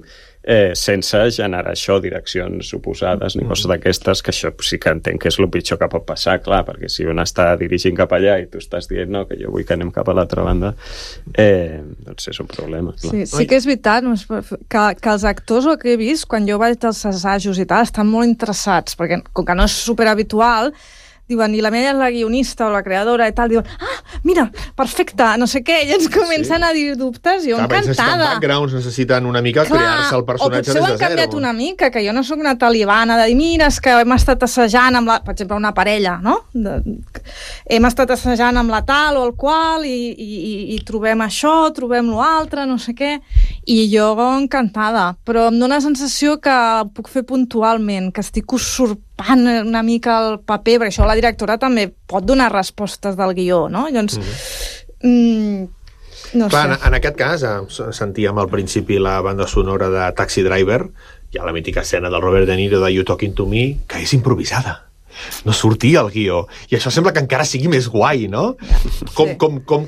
sense generar això, direccions oposades ni coses d'aquestes, que això sí que entenc que és el pitjor que pot passar, clar, perquè si un està dirigint cap allà i tu estàs dient no, que jo vull que anem cap a l'altra banda, doncs és un problema. Clar. Sí que és veritat que els actors, el que he vist, quan jo vaig als assajos i tal, estan molt interessats, perquè com que no és superhabitual, diuen, i la meva és la guionista o la creadora i tal, diuen, mira, perfecte, no sé què, i ens comencen a dir dubtes, jo encantada. Necessiten backgrounds, necessiten una mica crear-se el personatge des de zero. O potser ho han canviat una mica, que jo no sóc una talibana de dir, mira, és que hem estat assajant amb per exemple, una parella, no? Hem estat assajant amb la tal o el qual i trobem això, trobem l'altre, no sé què, i jo encantada, però em dóna la sensació que puc fer puntualment, que estic usurpant una mica el paper, perquè això la directora també pot donar respostes del guió, no? Llavors, no clar, sé. En aquest cas, sentíem al principi la banda sonora de Taxi Driver, hi ha la mítica escena del Robert De Niro de You Talking to Me, que és improvisada. No sortia el guió. I això sembla que encara sigui més guai, no? Com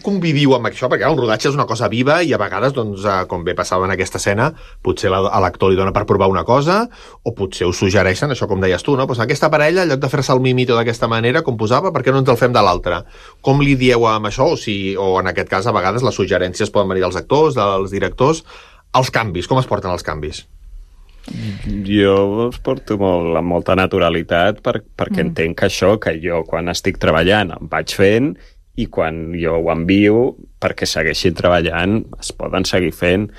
conviviu amb això? Perquè un rodatge és una cosa viva i a vegades, doncs, com bé passava en aquesta escena, potser a l'actor li dona per provar una cosa o potser us suggereixen, això com deies tu, no? Pues aquesta parella, en lloc de fer-se el mimito d'aquesta manera, com posava, per què no ens el fem de l'altra? Com li dieu amb això? O en aquest cas, a vegades, les suggerències poden venir dels actors, dels directors. Els canvis, com es porten els canvis? Jo els porto amb molta naturalitat perquè entenc que això, que jo quan estic treballant em vaig fent i quan jo ho envio perquè segueixin treballant es poden seguir fent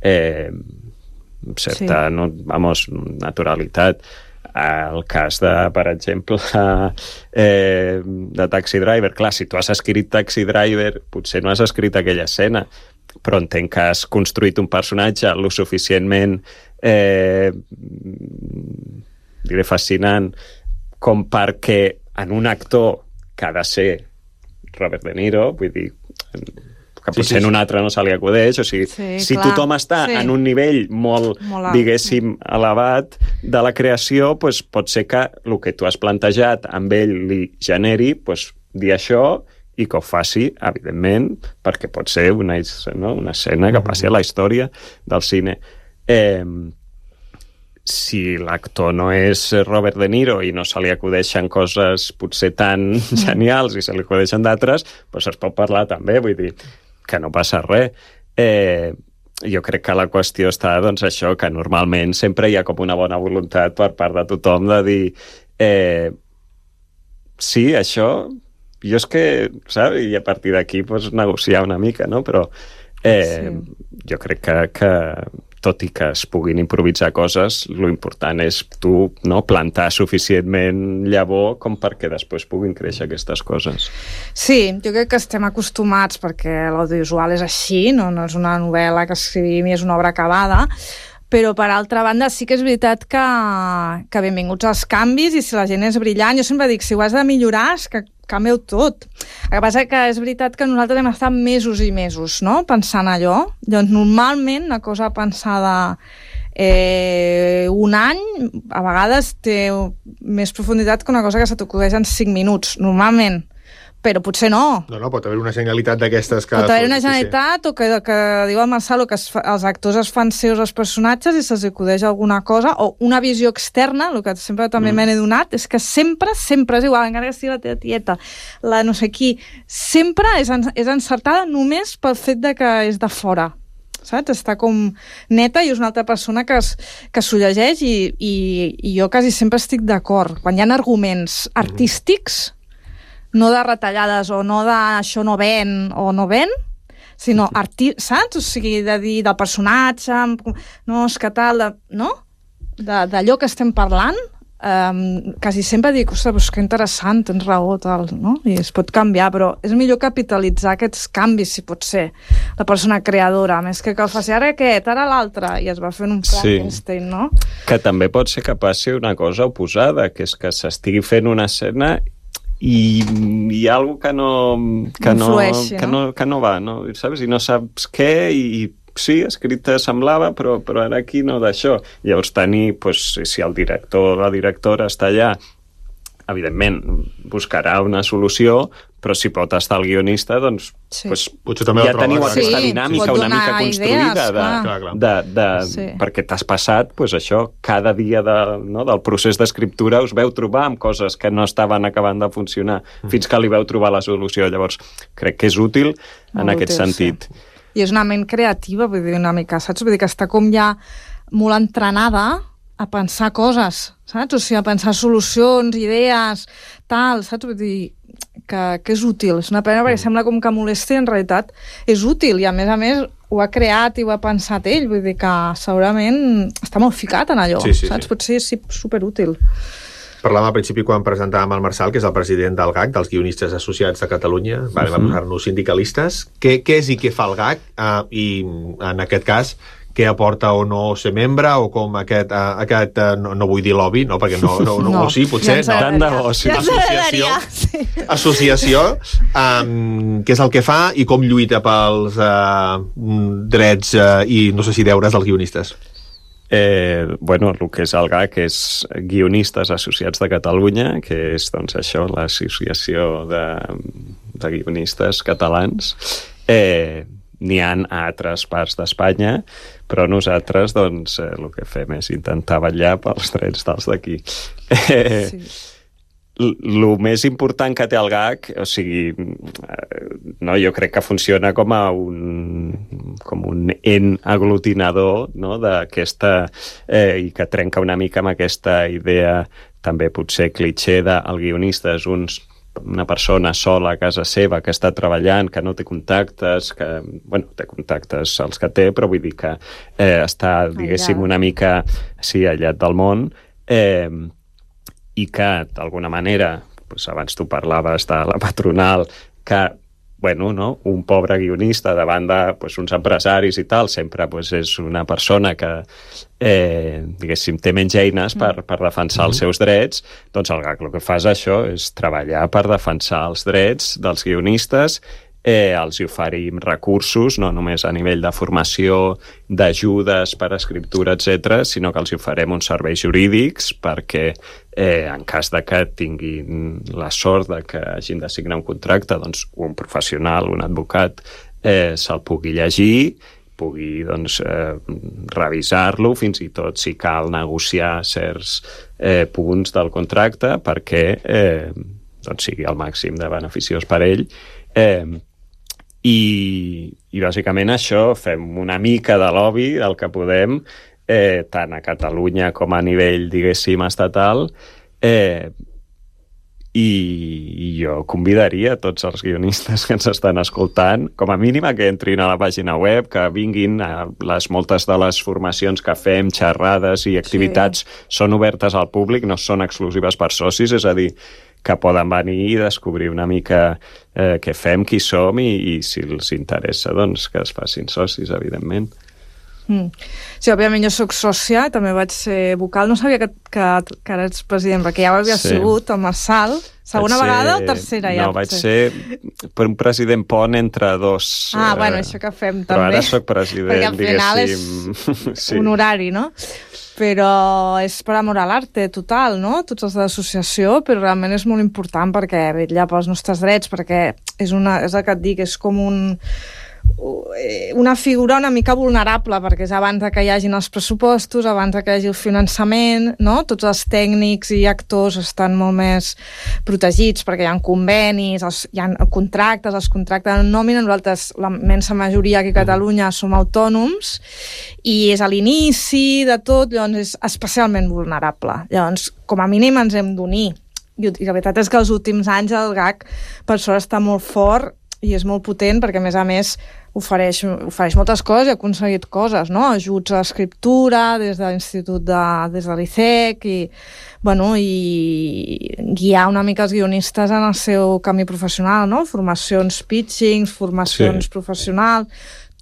amb certa naturalitat. El cas de, per exemple, de Taxi Driver, clar, si tu has escrit Taxi Driver potser no has escrit aquella escena, però entenc que has construït un personatge lo suficientment diré fascinant com perquè en un actor que ha de ser Robert De Niro, vull dir que potser en un altre no se li acudeix, o sigui, si tothom està en un nivell molt diguéssim, elevat de la creació, doncs pot ser que el que tu has plantejat amb ell li generi, doncs dir això i que ho faci, evidentment, perquè pot ser una escena que passi a la història del cine. Si l'actor no és Robert De Niro i no se li acudeixen coses potser tan genials i se li acudeixen d'altres, doncs es pot parlar també, vull dir que no passa res. Jo crec que la qüestió està, doncs, això, que normalment sempre hi ha com una bona voluntat per part de tothom de dir sí, això jo és que, saps? I a partir d'aquí pues, negociar una mica, no? Però jo crec que tot i que es puguin improvisar coses, lo important és tu plantar suficientment llavor com perquè després puguin créixer aquestes coses. Sí, jo crec que estem acostumats perquè l'audiovisual és així, no és una novel·la que escrivim i és una obra acabada, Però, per altra banda, sí que és veritat que benvinguts als canvis, i si la gent és brillant, jo sempre dic, si ho has de millorar, és que canvieu tot. El que passa que és veritat que nosaltres hem estat mesos i mesos, no?, pensant allò. Llavors, normalment, una cosa pensada un any, a vegades té més profunditat que una cosa que se t'acudeix en 5 minuts, normalment. Però potser no. No, pot haver una genialitat d'aquestes que... Pot haver una genialitat, o que diu el Marcelo, que els actors es fan seus els personatges i se'ls acudeix alguna cosa, o una visió externa, el que sempre també me n'he donat, és que sempre és igual, encara que sigui la teva tieta, la no sé qui, sempre és encertada només pel fet de que és de fora. Saps? Està com neta i és una altra persona que s'ho llegeix i jo quasi sempre estic d'acord. Quan hi ha arguments artístics, no de retallades o no de això no ven o no ven, sinó saps? O sigui, de dir del personatge, no, és que tal, no? D'allò que estem parlant, quasi sempre dic, ostres, que interessant, tens raó, tal, no? I es pot canviar, però és millor capitalitzar aquests canvis, si pot ser, la persona creadora, més que el faci ara aquest, ara l'altre, i es va fent un Frankenstein, no? Que també pot ser que passi una cosa oposada, que és que s'estigui fent una escena i hi ha alguna cosa que no va, no? Saps? I no saps què, i sí, escrit semblava, però ara aquí no d'això. Llavors tenir, si el director o la directora està allà, evidentment buscarà una solució, però si pot estar el guionista, doncs potser també ja teniu aquesta dinàmica una mica construïda perquè t'has passat això, cada dia del procés d'escriptura us veu trobar amb coses que no estaven acabant de funcionar fins que li veu trobar la solució. Llavors crec que és útil en aquest sentit. I és una ment creativa, vull dir, una mica, saps? Vull dir que està com ja molt entrenada a pensar coses, saps? O sigui, a pensar solucions, idees, tal, saps? Vull dir que és útil. És una pena perquè sembla com que molesta i en realitat és útil i a més ho ha creat i ho ha pensat ell. Vull dir que segurament està molt ficat en allò, saps? Potser és superútil. Parlàvem al principi quan presentàvem el Marçal, que és el president del GAC, dels Guionistes Associats de Catalunya. Va posar-nos sindicalistes. Què és i què fa el GAC? I en aquest cas, què aporta o no ser membre, o com aquest no vull dir lobby, no, perquè no sí, potser tant de bo, sí. Associació, què és el que fa i com lluita pels drets i no sé si deures dels guionistes. El que és el GAC és Guionistes Associats de Catalunya, que és això, l'associació de guionistes catalans. N'hi ha a altres parts d'Espanya, però nosaltres el que fem és intentar vetllar pels drets dels d'aquí. El més important que té el GAC, o sigui, jo crec que funciona com un en aglutinador, no?, d'aquesta i que trenca una mica amb aquesta idea també potser clitxer del guionista és una persona sola a casa seva que està treballant, que no té contactes, té contactes els que té, però vull dir que està, diguéssim, una mica aïllat del món, i que, d'alguna manera, abans tu parlaves de la patronal, que un pobre guionista davant d'uns empresaris i tal, sempre és una persona que, diguéssim, té menys eines per defensar els seus drets. Doncs el GAC el que fa és això, és treballar per defensar els drets dels guionistes, els hi oferim recursos, no només a nivell de formació, d'ajudes per a escriptura, etc., sinó que els hi oferim uns serveis jurídics perquè en cas de que tinguin la sort de que hagin de signar un contracte, doncs un professional, un advocat, se'l pugui llegir, pugui revisar-lo, fins i tot si cal negociar certs punts del contracte perquè sigui el màxim de beneficiós per ell. I bàsicament això, fem una mica de lobby del que podem, tant a Catalunya com a nivell, diguéssim, estatal, i jo convidaria tots els guionistes que ens estan escoltant, com a mínim que entrin a la pàgina web, que vinguin a moltes de les formacions que fem, xerrades i activitats són obertes al públic, no són exclusives per socis, és a dir, que poden venir i descobrir una mica què fem, qui som i si els interessa, doncs que es facin socis, evidentment. Sí, òbviament jo soc sòcia, també vaig ser vocal. No sabia que ara ets president, perquè ja ho havia sigut, el Marçal. Segona vegada o tercera ja? No, vaig ser per un president pont entre dos. Bueno, això que fem també. Però ara soc president, perquè al final és honorari, no? Però és per amor a l'arte total, no? Tots els de l'associació, però realment és molt important perquè vetlla pels nostres drets, perquè és el que et dic, és com una figura una mica vulnerable, perquè és abans que hi hagin els pressupostos, abans que hi hagi el finançament, no? Tots els tècnics i actors estan molt més protegits perquè hi ha convenis, hi ha contractes, els contractes en nòmina. Nosaltres, la immensa majoria aquí a Catalunya, som autònoms i és a l'inici de tot, llavors és especialment vulnerable. Llavors, com a mínim ens hem d'unir. I la veritat és que els últims anys el GAC per sort està molt fort i és molt potent perquè, a més, ofereix moltes coses i ha aconseguit coses, no? Ajuts a l'escriptura des de l'Institut, des de l'ICEC i guiar una mica els guionistes en el seu camí professional, no? Formacions pitchings, formacions professionals,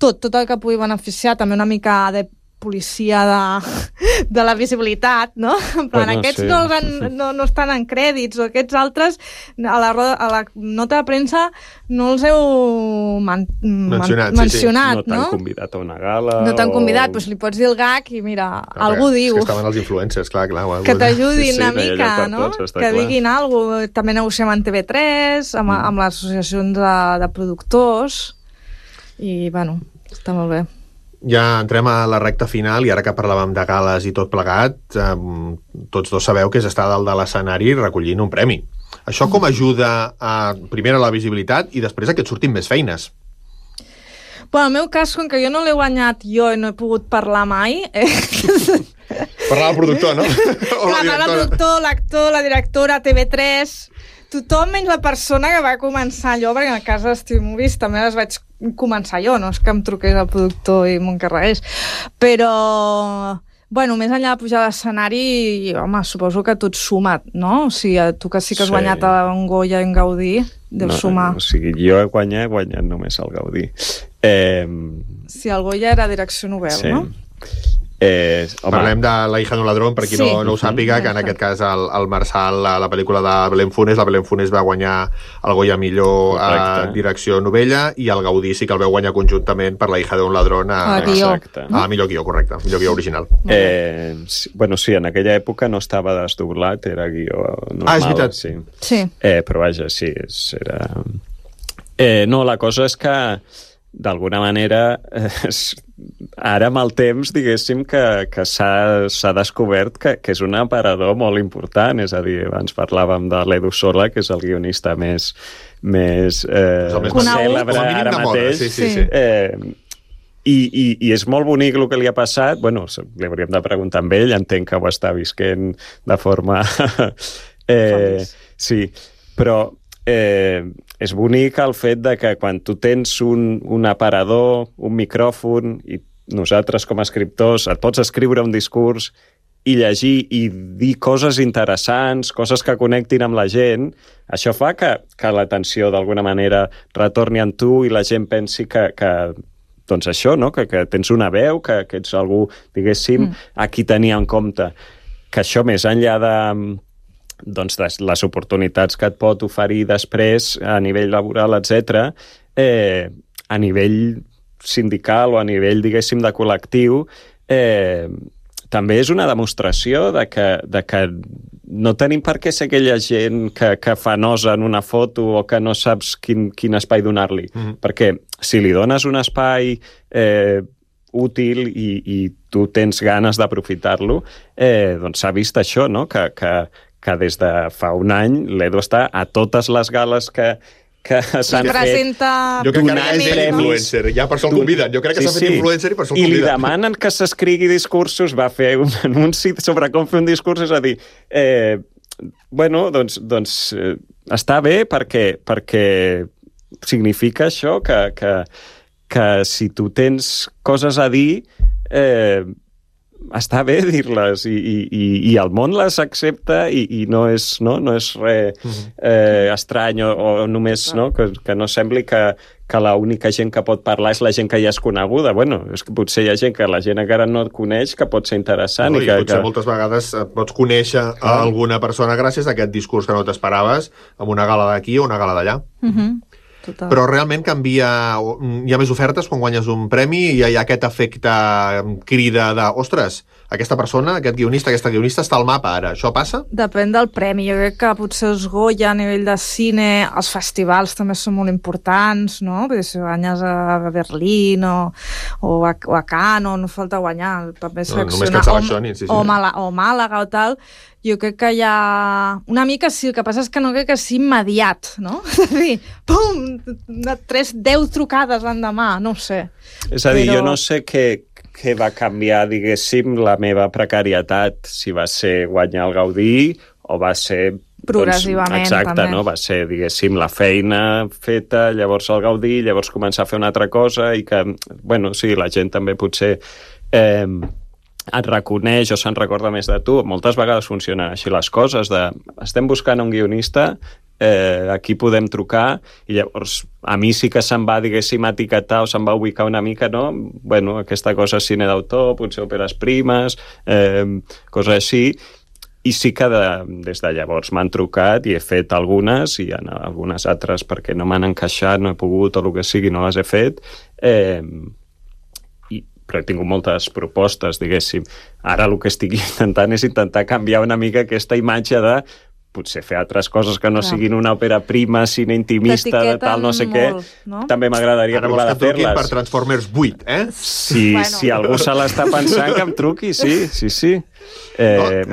tot el que pugui beneficiar, també una mica de policia de la visibilitat, no? En plan, aquests no estan en crèdits, o aquests altres a la nota de premsa no els heu mencionat, no t'han convidat a una gala. No t'han convidat, doncs li pots dir el GAC i mira, algú diu. És que estaven els influencers, clar. Que t'ajudin una mica, no? Que diguin alguna cosa. També negociem amb TV3, amb les associacions de productors, i, està molt bé. Ja entrem a la recta final i ara que parlàvem de gales i tot plegat, tots dos sabeu que és estar dalt de l'escenari recollint un premi. Això com ajuda primer a la visibilitat i després a que et surtin més feines? En el meu cas, com que jo no l'he guanyat jo i no he pogut parlar mai... Parlar al productor, no? Parlar al productor, l'actor, la directora, TV3... Tothom menys la persona que va començar allò, perquè en el cas dels TV Movies també les vaig començar jo, no és que em truqués el productor i m'ho encarregués. Però, més enllà de pujar a l'escenari, home, suposo que tot suma, no? O sigui, tu que sí que has guanyat un Goya en Gaudí, deus sumar. O sigui, jo he guanyat només el Gaudí. Sí, el Goya era direcció novel, no? Parlem de La hija de un ladrón, per qui no ho sàpiga, que en aquest cas el Marçal, la pel·lícula de Belén Funes, la Belén Funes va guanyar el Goya millor direcció novella i el Gaudí sí que el veu guanyar conjuntament per La hija de un ladrón a millor guió, correcte, millor guió original. Sí, en aquella època no estava desdoblat, era guió normal. És veritat. Sí. Però vaja, sí, era... No, la cosa és que d'alguna manera ara amb el temps diguéssim que s'ha descobert que és un aparador molt important, és a dir, abans parlàvem de l'Edu Sola, que és el guionista més cèlebre ara mateix. I és molt bonic el que li ha passat. Li hauríem de preguntar amb ell, entenc que ho està visquent de forma sí, però és bonic el fet de que quan tu tens un aparador, un micròfon, i nosaltres com a escriptors et pots escriure un discurs i llegir i dir coses interessants, coses que connectin amb la gent, això fa que l'atenció d'alguna manera retorni en tu i la gent pensi que doncs això, no? Que tens una veu, que ets algú, diguéssim, a qui tenir en compte. Que això més enllà de les oportunitats que et pot oferir després a nivell laboral, etc., a nivell sindical o a nivell, diguéssim, de col·lectiu, també és una demostració de que no tenim per què ser aquella gent que fa nosa en una foto o que no saps quin espai donar-li. Perquè si li dones un espai útil i tu tens ganes d'aprofitar-lo, doncs s'ha vist això, no? Que des de fa un any l'Edu està a totes les gales que s'han fet. Jo crec que ara és influencer, ja per això el conviden. Jo crec que s'ha fet influencer i per això el conviden. I li demanen que s'escrigui discursos, va fer un anunci sobre com fer un discurs, és a dir, doncs està bé perquè significa això, que si tu tens coses a dir, està bé dir-les i el món les accepta i no és res estrany o només que no sembli que l'única gent que pot parlar és la gent que ja és coneguda. Bueno, és que potser hi ha gent que la gent encara no et coneix que pot ser interessant. I potser moltes vegades pots conèixer alguna persona gràcies a aquest discurs que no t'esperaves en una gala d'aquí o una gala d'allà. Total. Però realment canvia... Hi ha més ofertes quan guanyes un premi i hi ha aquest efecte crida de ostres, aquesta persona, aquest guionista, aquesta guionista està al mapa ara. Això passa? Depèn del premi. Jo crec que potser els Goya a nivell de cine, els festivals també són molt importants, no? Perquè si guanyes a Berlín o a Cannes, no falta guanyar. També només que et això, ni o Màlaga o tal. Jo crec que hi ha... Una mica sí, el que passa és que no crec que sigui immediat, no? És a dir, pum, 10 trucades l'endemà, no ho sé. És a dir, jo no sé què va canviar, diguéssim, la meva precarietat, si va ser guanyar el Gaudí o va ser... Progressivament, exacte, també. no? Va ser, diguéssim, la feina feta, llavors el Gaudí, llavors començar a fer una altra cosa i que, bueno, sí, la gent també potser... et reconeix o se'n recorda més de tu. Moltes vegades funcionen així les coses, estem buscant un guionista, aquí podem trucar, i llavors a mi sí que se'm va, diguéssim, etiquetar o se'm va ubicar una mica, no? Bueno, aquesta cosa és cine d'autor, potser òperes primes, coses així, i sí que des de llavors m'han trucat i he fet algunes, i en algunes altres perquè no m'han encaixat, no he pogut, o el que sigui, no les he fet, però he tingut moltes propostes, diguéssim. Ara el que estic intentant és intentar canviar una mica aquesta imatge de potser fer altres coses que no siguin una òpera prima, cine intimista, de tal, no sé què. No? També m'agradaria provar de fer-les. Ara vols que per Transformers 8, eh? Si algú se l'està pensant, que em truqui, sí.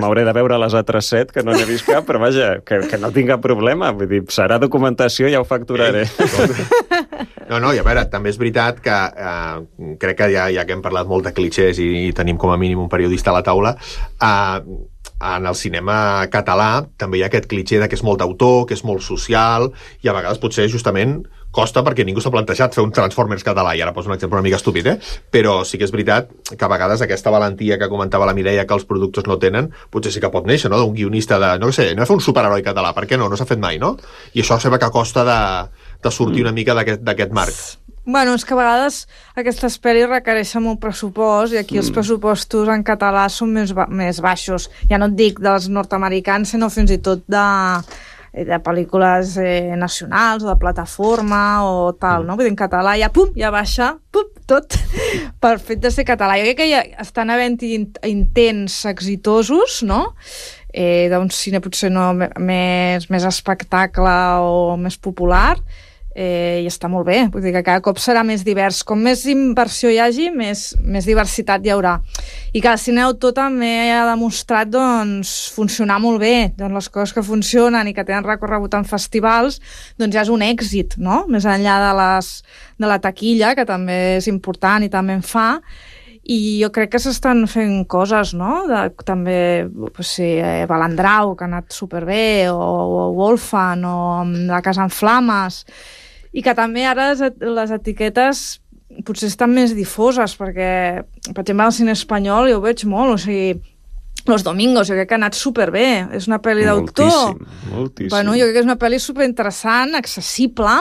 M'hauré de veure les altres 7, que no n'he vist cap, però vaja, que no tinc cap problema. Vull dir, serà documentació i ja ho facturaré. No, i a veure, també és veritat que crec que ja que hem parlat molt de clichés i tenim com a mínim un periodista a la taula, en el cinema català també hi ha aquest cliché de que és molt d'autor, que és molt social, i a vegades potser justament costa perquè ningú s'ha plantejat fer un Transformers català, i ara poso un exemple una mica estúpid, però sí que és veritat que a vegades aquesta valentia que comentava la Mireia que els productors no tenen, potser sí que pot néixer, no?, d'un guionista de, no sé, no fer un superheroi català, per què no? No s'ha fet mai, no? I això sembla que costa de sortir una mica d'aquest marc. Bueno, és que a vegades aquestes pel·lis requereixen molt pressupost i aquí els pressupostos en català són més baixos. Ja no et dic dels nord-americans, sinó fins i tot de pel·lícules nacionals o de plataforma o tal, no? Vull dir, en català ja baixa, tot per fet de ser català. Jo crec que ja estan havent-hi intents exitosos, no?, d'un cine potser no més espectacle o més popular, i està molt bé, vull dir que cada cop serà més divers. Com més inversió hi hagi, més diversitat hi haurà. I que el cine d'autor també ha demostrat funcionar molt bé. Les coses que funcionen i que tenen recorregut en festivals, ja és un èxit, no? Més enllà de la taquilla, que també és important i també en fa. I jo crec que s'estan fent coses, no? També, Balandrau, que ha anat superbé, o Wolfan, o La casa en flames, i que també ara les etiquetes potser estan més difoses, perquè, per exemple, al cine espanyol jo ho veig molt, o sigui, Los Domingos, jo crec que ha anat superbé, és una pel·li d'autor. Moltíssim. Bueno, jo crec que és una pel·li superinteressant, accessible.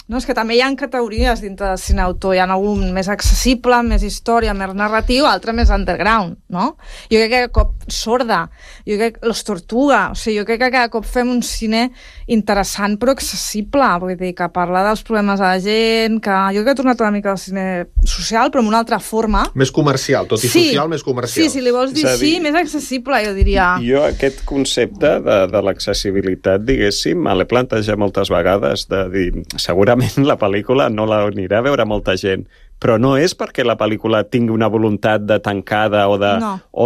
No, és que també hi ha categories dintre del cine d'autor. Hi ha algun més accessible, més història, més narratiu, altre més underground, no? Jo crec que cada cop Sorda, jo crec que Los Tortuga, o sigui, jo crec que cada cop fem un cine interessant però accessible, vull dir, que parla dels problemes de la gent, que jo crec que ha tornat una mica al cine social, però amb una altra forma. Més comercial, tot i social, més comercial. Sí, si li vols dir així, més accessible, jo diria. Jo aquest concepte de l'accessibilitat, diguéssim, me l'he plantejat moltes vegades, de dir, segurament la pel·lícula no l'anirà a veure molta gent, però no és perquè la pel·lícula tingui una voluntat de tancada o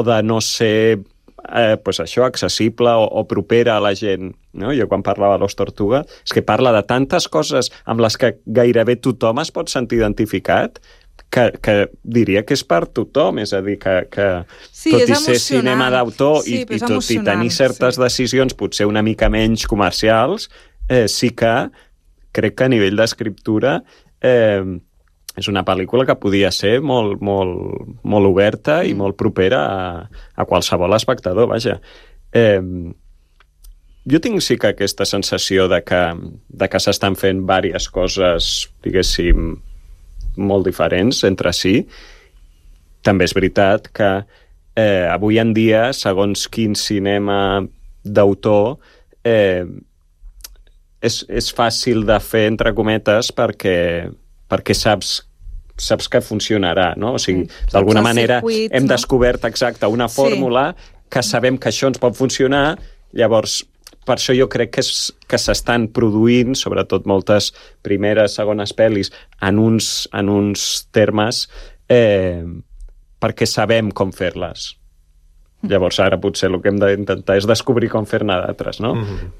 de no ser això, accessible o propera a la gent. No? Jo quan parlava de Los Tortuga és que parla de tantes coses amb les que gairebé tothom es pot sentir identificat que diria que és per tothom, és a dir, que sí, tot i ser cinema d'autor i tot i tenir certes decisions potser una mica menys comercials, sí que crec que a nivell d'escriptura és una pel·lícula que podia ser molt, molt, molt oberta i molt propera a qualsevol espectador, vaja. Jo tinc sí que aquesta sensació de que s'estan fent diverses coses, diguéssim, molt diferents entre si. També és veritat que avui en dia, segons quin cinema d'autor, és fàcil de fer, entre cometes, perquè saps que funcionarà, no? O sigui, d'alguna manera hem descobert exacte una fórmula que sabem que això ens pot funcionar, llavors per això jo crec que s'estan produint, sobretot moltes primeres, segones pel·lis, en uns termes perquè sabem com fer-les. Llavors ara potser el que hem d'intentar és descobrir com fer-ne d'altres, no?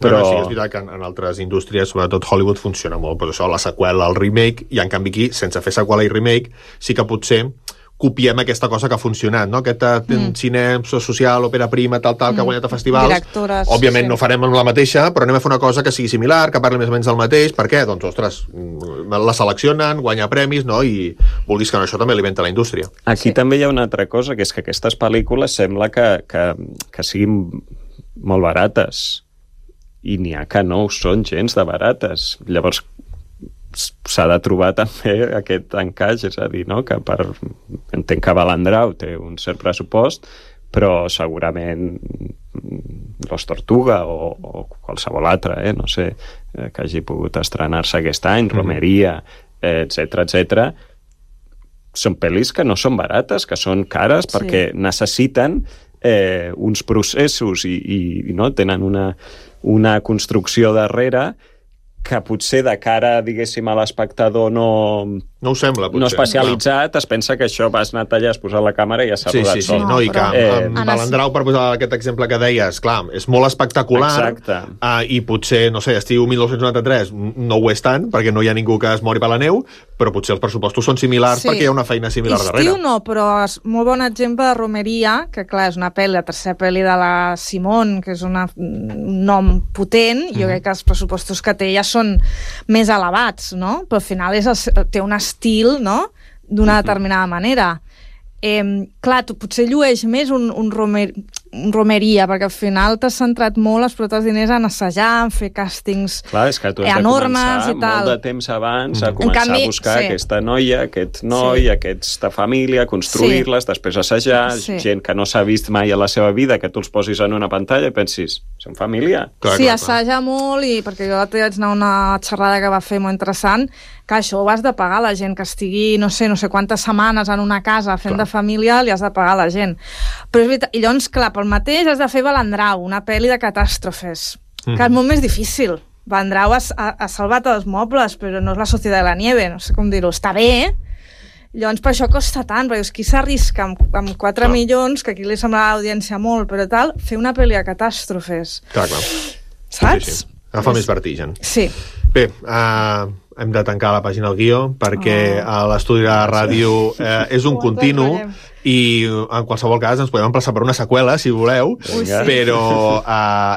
Però sí que és veritat que en altres indústries, sobretot Hollywood, funciona molt, però això, la seqüela, el remake, i en canvi aquí, sense fer seqüela i remake, sí que potser copiem aquesta cosa que ha funcionat, no? Aquest cine social, òpera prima, tal, que ha guanyat a festivals. Directores, òbviament no farem la mateixa, però anem a fer una cosa que sigui similar, que parli més o menys del mateix. Per què? Doncs, ostres, la seleccionen, guanya premis, no? I vulguis que no, això també alimenta la indústria. Aquí també hi ha una altra cosa, que és que aquestes pel·lícules sembla que siguin molt barates. I n'hi ha que no ho són gens de barates. Llavors, s'ha de trobar també aquest encaix, és a dir, no? Que entenc que Balandrau té un cert pressupost, però segurament Los Tortuga o qualsevol altre, no sé, que hagi pogut estrenar-se aquest any, Romeria, etc. Són pel·lis que no són barates, que són cares, perquè necessiten uns processos i no tenen una construcció darrere que potser de cara, diguéssim, a l'espectador no ho sembla, potser. No especialitzat, es pensa que això vas anar allà, has posat la càmera i ja s'ha rodat sol. No, i que amb Balandrau, per posar aquest exemple que deies, clar, és molt espectacular, i potser, no sé, estiu 1993 no ho és tant, perquè no hi ha ningú que es mori per la neu, però potser els pressupostos són similars perquè hi ha una feina similar darrere. Estiu no, però és molt bon exemple de Romeria, que clar, és una pel·li, la tercera pel·li de la Simone, que és un nom potent, jo crec que els pressupostos que té ja són més elevats, no? Però al final té un estil, no?, d'una determinada manera. Clar, tu potser llueix més un Romeria, perquè al final t'has centrat molt els propis diners en assajar, en fer càstings enormes i tal. Clar, és que tu has de començar molt de temps abans a començar a buscar aquesta noia, aquest noi, aquesta família, construir-les, després assajar, gent que no s'ha vist mai a la seva vida, que tu els posis en una pantalla i pensis, són família? Sí, assaja molt, i perquè jo vaig anar a una xerrada que va fer molt interessant, que això ho has de pagar la gent que estigui, no sé quantes setmanes en una casa fent de família, li has de pagar a la gent. Però és veritat, i llavors, clar, pel mateix has de fer Balandrau, una pel·li de catàstrofes, que és molt més difícil. Balandrau ha salvat els mobles, però no és la Societat de la Nieve, no sé com dir-ho, està bé, llavors per això costa tant, perquè qui s'arrisca amb 4 milions, que aquí li sembla a l'audiència molt, però tal, fer una pel·li de catàstrofes. Clar. Saps? Sí. Agafa més vertigen. Sí. Bé, hem de tancar la pàgina del guió perquè l'estudi de la ràdio és un continu i en qualsevol cas ens podem emplaçar per una seqüela si voleu, però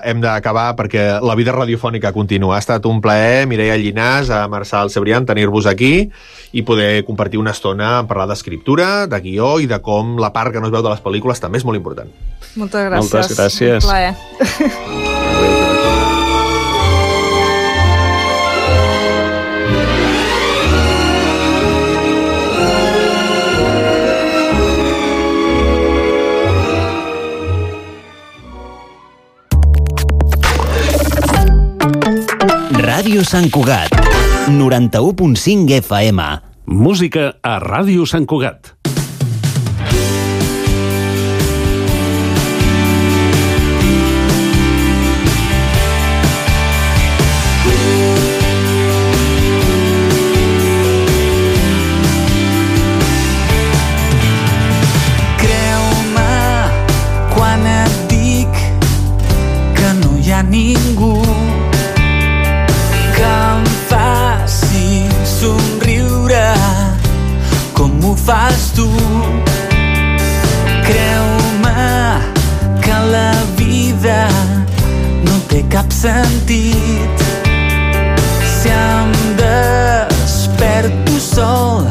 hem d'acabar perquè la vida radiofònica continua. Ha estat un plaer, Mireia Llinàs, a Marçal Cebrián, tenir-vos aquí i poder compartir una estona en parlar d'escriptura, de guió i de com la part que no es veu de les pel·lícules també és molt important. Moltes gràcies. Moltes gràcies. Un plaer. Ràdio Sant Cugat, 91.5 FM. Música a Ràdio Sant Cugat. Creu-me quan et dic que no hi ha ningú que em faci somriure com ho fas tu. Creu-me que la vida no té cap sentit si em desperto sol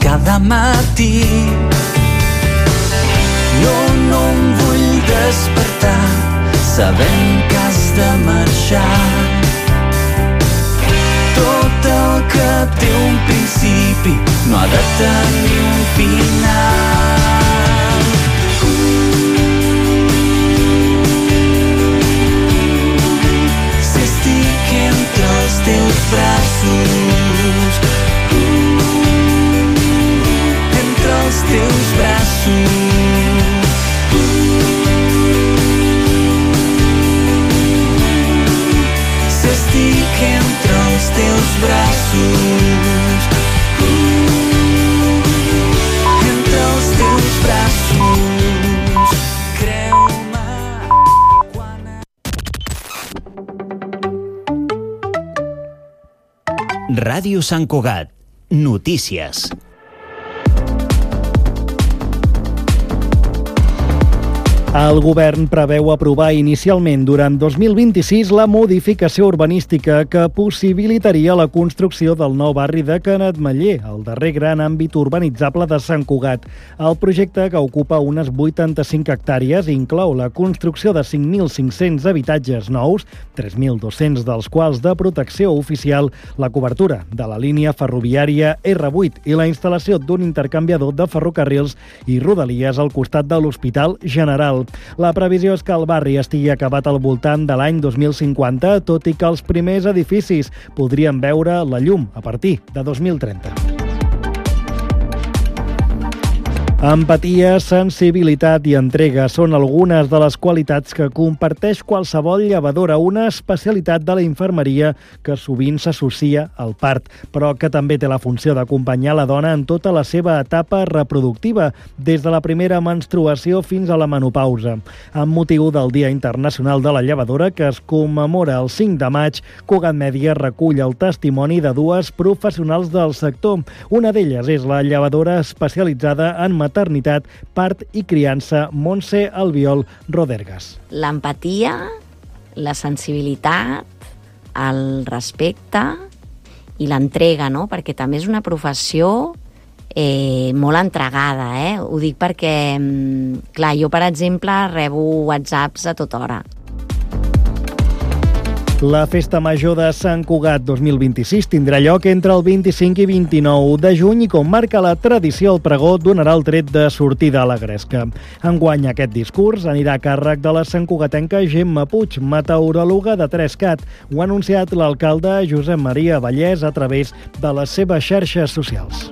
cada matí. No em vull despertar sabent que has de marxar. Tot el que té un principi no ha de tenir un final. Si estic entre els teus braços, entre els teus braços, si estic entre els teus braços, entre els teus braços, creu-me quan... Ràdio Sant Cugat. Notícies. El govern preveu aprovar inicialment durant 2026 la modificació urbanística que possibilitaria la construcció del nou barri de Canetmeller, el darrer gran àmbit urbanitzable de Sant Cugat. El projecte, que ocupa unes 85 hectàrees, inclou la construcció de 5.500 habitatges nous, 3.200 dels quals de protecció oficial, la cobertura de la línia ferroviària R8 i la instal·lació d'un intercanviador de ferrocarrils i rodalies al costat de l'Hospital General. La previsió és que el barri estigui acabat al voltant de l'any 2050, tot i que els primers edificis podrien veure la llum a partir de 2030. Empatia, sensibilitat i entrega són algunes de les qualitats que comparteix qualsevol llevadora, una especialitat de la infermeria que sovint s'associa al part, però que també té la funció d'acompanyar la dona en tota la seva etapa reproductiva, des de la primera menstruació fins a la menopausa. Amb motiu del Dia Internacional de la Llevadora, que es commemora el 5 de maig, Cugat Mèdia recull el testimoni de dues professionals del sector. Una d'elles és la llevadora especialitzada en maternitat, part i criança, Montse Albiol Rodergas. L'empatia, la sensibilitat, el respecte i l'entrega, no? Perquè també és una professió molt entregada, Ho dic perquè, clar, jo, per exemple, rebo whatsapps a tota hora. La Festa Major de Sant Cugat 2026 tindrà lloc entre el 25 i 29 de juny i, com marca la tradició, el pregó donarà el tret de sortida a la gresca. Enguany aquest discurs anirà a càrrec de la santcugatenca Gemma Puig, meteoròloga de 3CAT. Ho ha anunciat l'alcalde Josep Maria Vallès a través de les seves xarxes socials.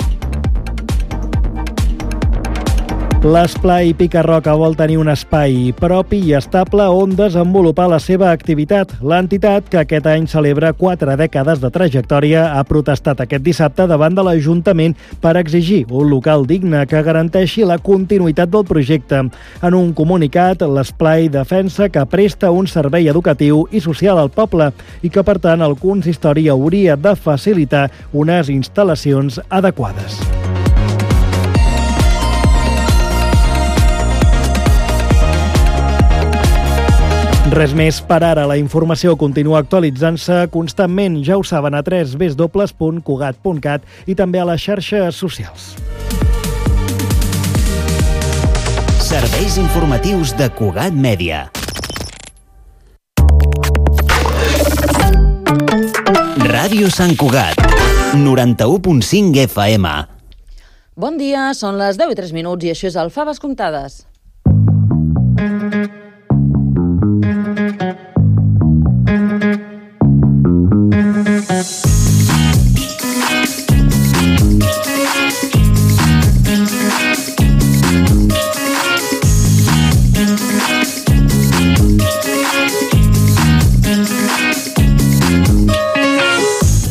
L'Esplai Pica-Roca vol tenir un espai propi i estable on desenvolupar la seva activitat. L'entitat, que aquest any celebra 4 dècades de trajectòria, ha protestat aquest dissabte davant de l'Ajuntament per exigir un local digne que garanteixi la continuïtat del projecte. En un comunicat, l'Esplai defensa que presta un servei educatiu i social al poble i que, per tant, el consistori hauria de facilitar unes instal·lacions adequades. Res més per ara. La informació continua actualitzant-se constantment. Ja ho saben, a www.cugat.cat i també a les xarxes socials. Serveis informatius de Cugat Mèdia. Ràdio Sant Cugat, 91.5 FM. Bon dia, són les 10:03 i això és el Faves Comptades.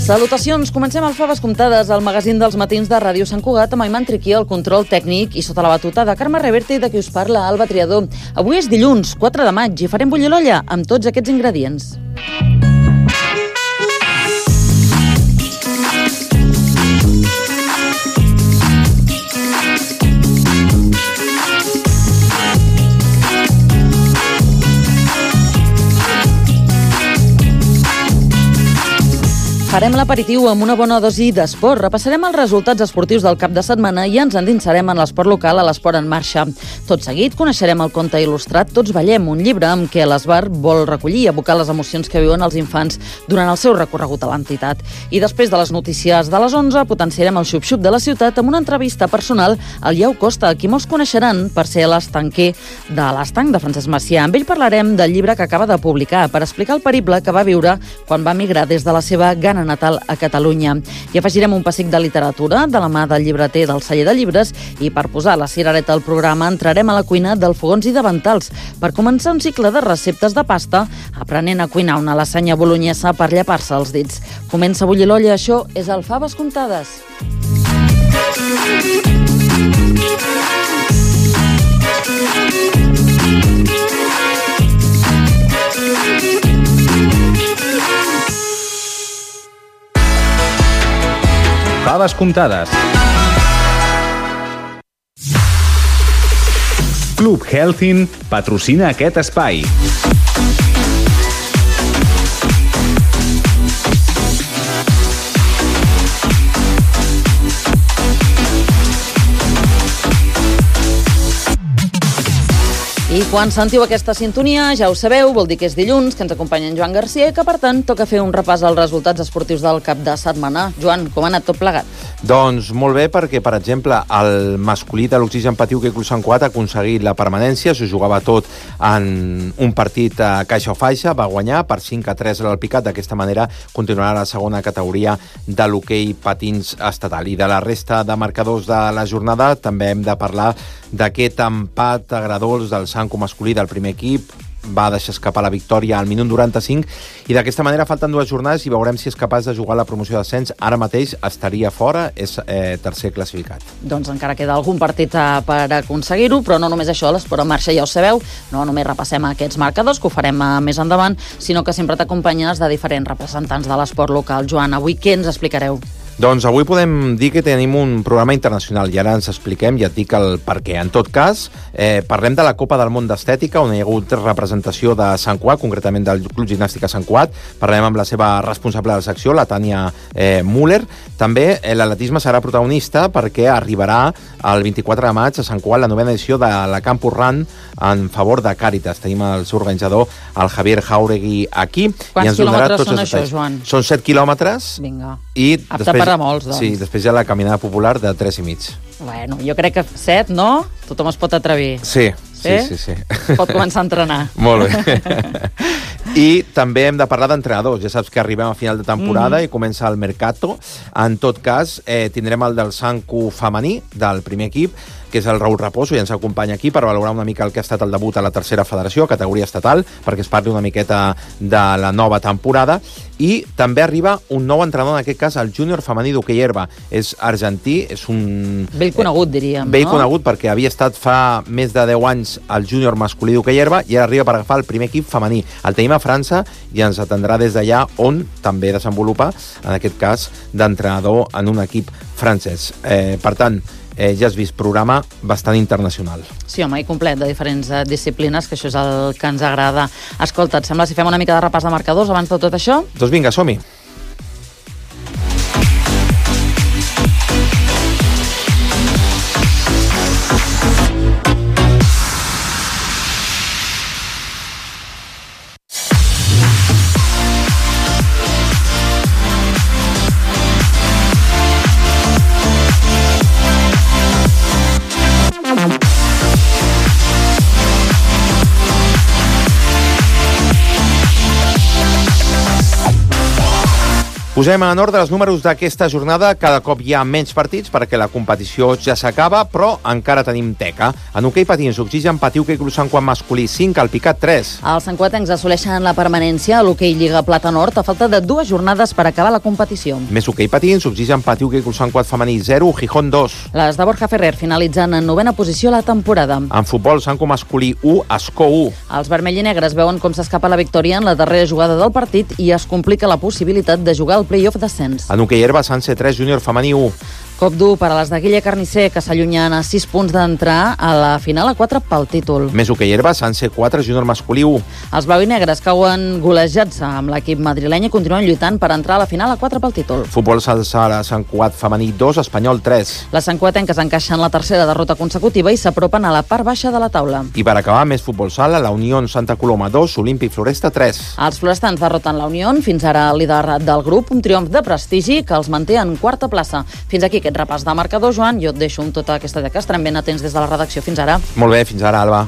Salutacions, comencem el Faves Comptades, el magazín dels matins de Ràdio Sant Cugat, amb Ayman Triqui, el control tècnic, i sota la batuta de Carme Reverte i de qui us parla, Alba Triador. Avui és dilluns, 4 de maig, i farem bullir l'olla amb tots aquests ingredients. Farem l'aperitiu amb una bona dosi d'esport. Repassarem els resultats esportius del cap de setmana i ens endinsarem en l'esport local a l'Esport en Marxa. Tot seguit coneixerem el conte il·lustrat Tots ballem, un llibre amb què l'Esbar vol recollir i abocar les emocions que viuen els infants durant el seu recorregut a l'entitat. I després de les notícies de les 11 potenciarem el xup-xup de la ciutat amb una entrevista personal al Iau Costa, qui molts coneixeran per ser l'estanquer de l'Estanc de Francesc Macià. Amb ell parlarem del llibre que acaba de publicar per explicar el periple que va viure quan va migrar des de la seva Ghana natal a Catalunya. I afegirem un pessic de literatura de la mà del llibreter del celler de llibres i per posar la cirereta al programa entrarem a la cuina del Fogons i Davantals per començar un cicle de receptes de pasta aprenent a cuinar una lasanya bolognesa per llepar-se els dits. Comença a bullir l'olla, això és el Faves Comptades. Faves comptades. Club Healthin patrocina aquest espai. I quan sentiu aquesta sintonia, ja ho sabeu, vol dir que és dilluns, que ens acompanya en Joan Garcia i que, per tant, toca fer un repàs als resultats esportius del cap de setmana. Joan, com ha anat tot plegat? Doncs molt bé, perquè, per exemple, el masculí de l'Oxigen Patiuca i Club Sant Cugat ha aconseguit la permanència, s'ho jugava tot en un partit a caixa o faixa, va guanyar per 5-3 a l'Alpicat, d'aquesta manera continuarà la segona categoria de l'hoquei patins estatal. I de la resta de marcadors de la jornada també hem de parlar d'aquest empat agredolç del Sanco masculí del primer equip, va deixar escapar la victòria al minut 95 i d'aquesta manera falten 2 jornades i veurem si és capaç de jugar la promoció d'ascens. Ara mateix estaria fora, és tercer classificat. Doncs encara queda algun partit per aconseguir-ho, però no només això, l'Esport en Marxa ja ho sabeu, no només repassem aquests marcadors, que ho farem més endavant, sinó que sempre t'acompanyes de diferents representants de l'esport local. Joan, avui què ens explicareu? Doncs avui podem dir que tenim un programa internacional i ara ens expliquem i et dic el per què. En tot cas, parlem de la Copa del Món d'Estètica, on hi ha hagut representació de Sant Cugat, concretament del Club Gimnàstica Sant Cugat. Parlem amb la seva responsable de la secció, la Tània Müller. També l'atletisme serà protagonista perquè arribarà el 24 de maig a Sant Cugat la 9ª edició de la Campus Run en favor de Càritas. Tenim el seu organitzador, el Javier Jauregui, aquí. Quants quilòmetres són això, Joan? Són 7 quilòmetres. Vinga. I després, per a molts, doncs. Sí, després hi ha la caminada popular de 3,5. Bueno, jo crec que 7, no? Tothom es pot atrevir. Sí. Pot començar a entrenar. Molt bé. I també hem de parlar d'entrenadors. Ja saps que arribem a final de temporada i comença el Mercato. En tot cas, tindrem el del Sanco femení, del primer equip, que és el Raül Raposo, i ens acompanya aquí per valorar una mica el que ha estat el debut a la tercera federació, categoria estatal, perquè es parli una miqueta de la nova temporada. I també arriba un nou entrenador, en aquest cas el júnior femení d'hoquei herba. És argentí, és un... Vell conegut, diríem, vell conegut, perquè havia estat fa més de 10 anys el júnior masculí d'hoquei herba i ara arriba per agafar el primer equip femení. El tenim a França i ens atendrà des d'allà, on també desenvolupa, en aquest cas, d'entrenador en un equip francès. Per tant, ja has vist, programa bastant internacional. Sí, home, i complet, de diferents disciplines, que això és el que ens agrada. Escolta, et sembla si fem una mica de repàs de marcadors abans de tot això? Doncs vinga, som-hi. Posem en ordre els números d'aquesta jornada. Cada cop hi ha menys partits perquè la competició ja s'acaba, però encara tenim teca. En hoquei patins, Oxigen Patiuca i Club Sant Cugat masculí 5, al Picat 3. Els santcuatencs assoleixen la permanència a l'hoquei Lliga Plata Nord a falta de 2 jornades per acabar la competició. Més hoquei patins, Oxigen Patiuca i Club Sant Cugat femení 0, Gijón 2. Les de Borja Ferrer finalitzen en 9ª posició la temporada. En futbol, Sanco masculí 1, Ascó 1. Els vermell i negres veuen com s'escapa la victòria en la darrera jugada del partit i es complica la possibilitat de jugar al play-off d'ascens. En hoquei herba, Sanse 3, Júnior femení 1. Cop dur per a les de Guille Carnicer, que s'allunyen a 6 punts d'entrar a la final a 4 pel títol. Més hoquei herba, Sanse 4, Júnior masculí 1. Els blau i negres cauen golejats amb l'equip madrileny i continuen lluitant per entrar a la final a 4 pel títol. Futbol sala Sant Cugat femení 2, Espanyol 3. Les santcuatenques encaixen la tercera derrota consecutiva i s'apropen a la part baixa de la taula. I per acabar, més futbol sala, la Unió Santa Coloma 2, Olímpic Floresta 3. Els florestans derroten la Unió, fins ara líder del grup, un triomf de prestigi que els manté en quarta plaça. Fins aquí aquest repàs de marcador, Joan. Jo et deixo amb tota aquesta que estarem ben atents des de la redacció. Fins ara. Molt bé, fins ara, Alba.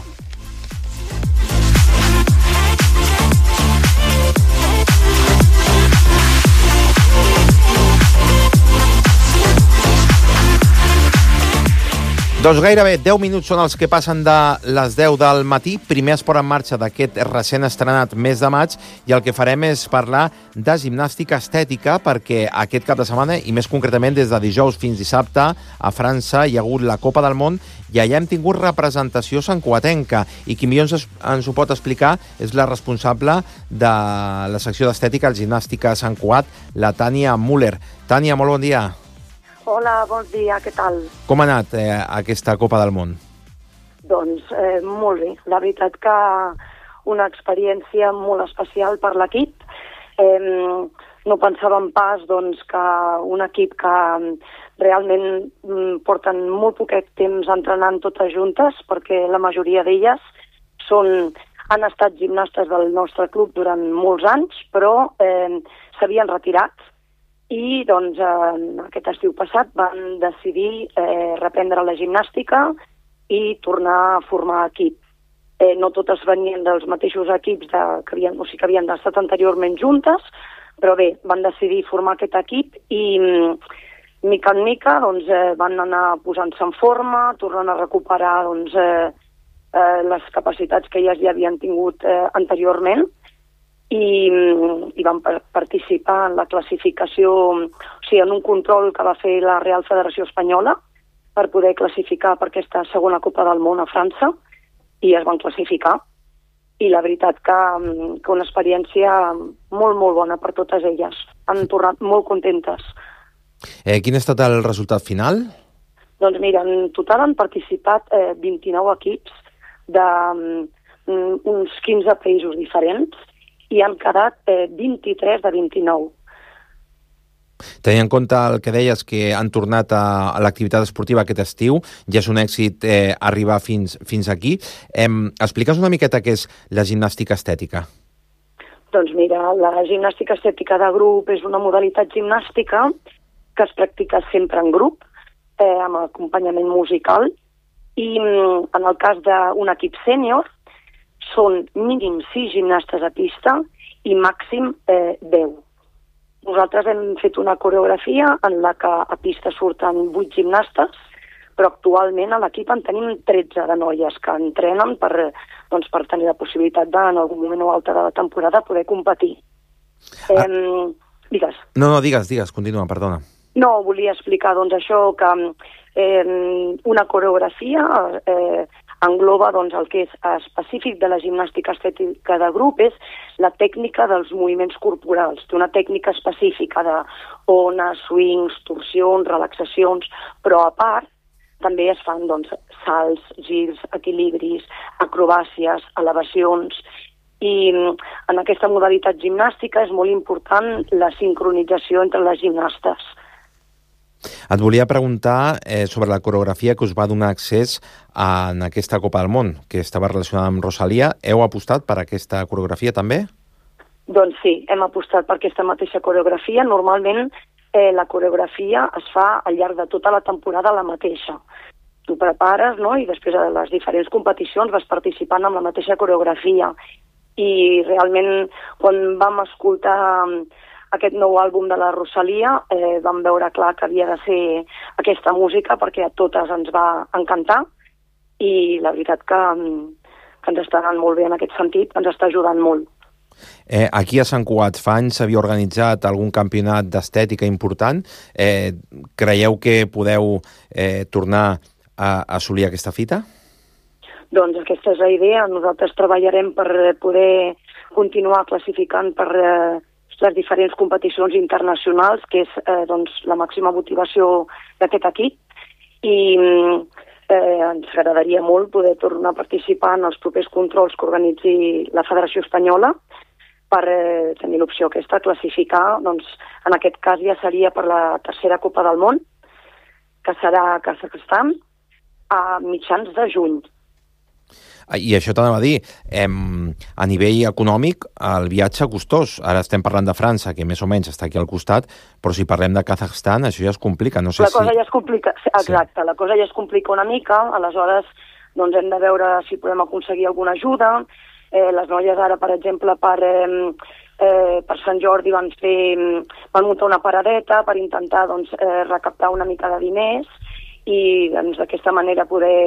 Doncs gairebé 10 minuts són els que passen de les 10 del matí. Primer esport en marxa d'aquest recent estrenat mes de maig i el que farem és parlar de gimnàstica estètica perquè aquest cap de setmana, i més concretament des de dijous fins dissabte, a França hi ha hagut la Copa del Món i allà hem tingut representació santcugatenca i qui millor ens ho pot explicar és la responsable de la secció d'estètica al Gimnàstica Sant Cugat, la Tània Müller. Tània, molt bon dia. Hola, bon dia, què tal? Com ha anat aquesta Copa del Món? Doncs molt bé. La veritat que una experiència molt especial per l'equip. No pensàvem pas doncs, que un equip que realment porten molt poquet temps entrenant totes juntes, perquè la majoria d'elles han estat gimnastes del nostre club durant molts anys, però s'havien retirat. I doncs aquest estiu passat van decidir reprendre la gimnàstica i tornar a formar equip. No totes venien dels mateixos equips que havien estat anteriorment juntes, però bé, van decidir formar aquest equip i mica en mica doncs, van anar posant-se en forma, tornant a recuperar doncs, les capacitats que elles ja havien tingut anteriorment. I van participar en la classificació, o sigui, en un control que va fer la Real Federació Espanyola per poder classificar per aquesta segona Copa del Món a França i es van classificar. I la veritat que una experiència molt, molt bona per totes elles. Han tornat molt contentes. Quin ha estat el resultat final? Doncs mira, en total han participat 29 equips d'uns 15 països diferents i han quedat 23 de 29. Tenint en compte el que deies, que han tornat a l'activitat esportiva aquest estiu, ja és un èxit arribar fins aquí. Explica'ns una miqueta què és la gimnàstica estètica. Doncs mira, la gimnàstica estètica de grup és una modalitat gimnàstica que es practica sempre en grup, amb acompanyament musical, i en el cas d'un equip sènior, són mínim 6 gimnastes a pista i màxim 10. Nosaltres hem fet una coreografia en la que a pista surten 8 gimnastes, però actualment a l'equip en tenim 13 de noies que entrenen per tenir la possibilitat en algun moment o altre de la temporada poder competir. Digues. No, digues, continua, perdona. No, volia explicar això, que una coreografia engloba el que és específic de la gimnàstica estètica de grup, és la tècnica dels moviments corporals. Té una tècnica específica d'ones, swings, torsions, relaxacions, però a part també es fan salts, girs, equilibris, acrobàcies, elevacions, i en aquesta modalitat gimnàstica és molt important la sincronització entre les gimnastes. Et volia preguntar sobre la coreografia que us va donar accés en aquesta Copa del Món, que estava relacionada amb Rosalía. Heu apostat per aquesta coreografia també? Doncs sí, hem apostat per aquesta mateixa coreografia. Normalment la coreografia es fa al llarg de tota la temporada la mateixa. Tu prepares, no?, i després de les diferents competicions vas participant amb la mateixa coreografia. I realment, quan vam escoltar aquest nou àlbum de la Rosalía, vam veure clar que havia de ser aquesta música perquè a totes ens va encantar i la veritat que ens està anant molt bé en aquest sentit, ens està ajudant molt. Aquí a Sant Cugat fa anys s'havia organitzat algun campionat d'estètica important. Creieu que podeu tornar a assolir aquesta fita? Doncs aquesta és la idea. Nosaltres treballarem per poder continuar classificant per les diferents competicions internacionals, que és doncs, la màxima motivació d'aquest equip, i ens agradaria molt poder tornar a participar en els propers controls que organitzi la Federació Espanyola per tenir l'opció aquesta, classificar, doncs, en aquest cas ja seria per la tercera Copa del Món, que serà a Kazakhstan, a mitjans de juny. I això t'anava a dir, a nivell econòmic, el viatge costós. Ara estem parlant de França, que més o menys està aquí al costat, però si parlem de Kazakhstan, això ja es complica. No sé la cosa ja es complica, exacte, la cosa ja es complica una mica, aleshores doncs hem de veure si podem aconseguir alguna ajuda. Les noies ara, per exemple, per Sant Jordi van muntar una paradeta per intentar doncs, recaptar una mica de diners i doncs, d'aquesta manera poder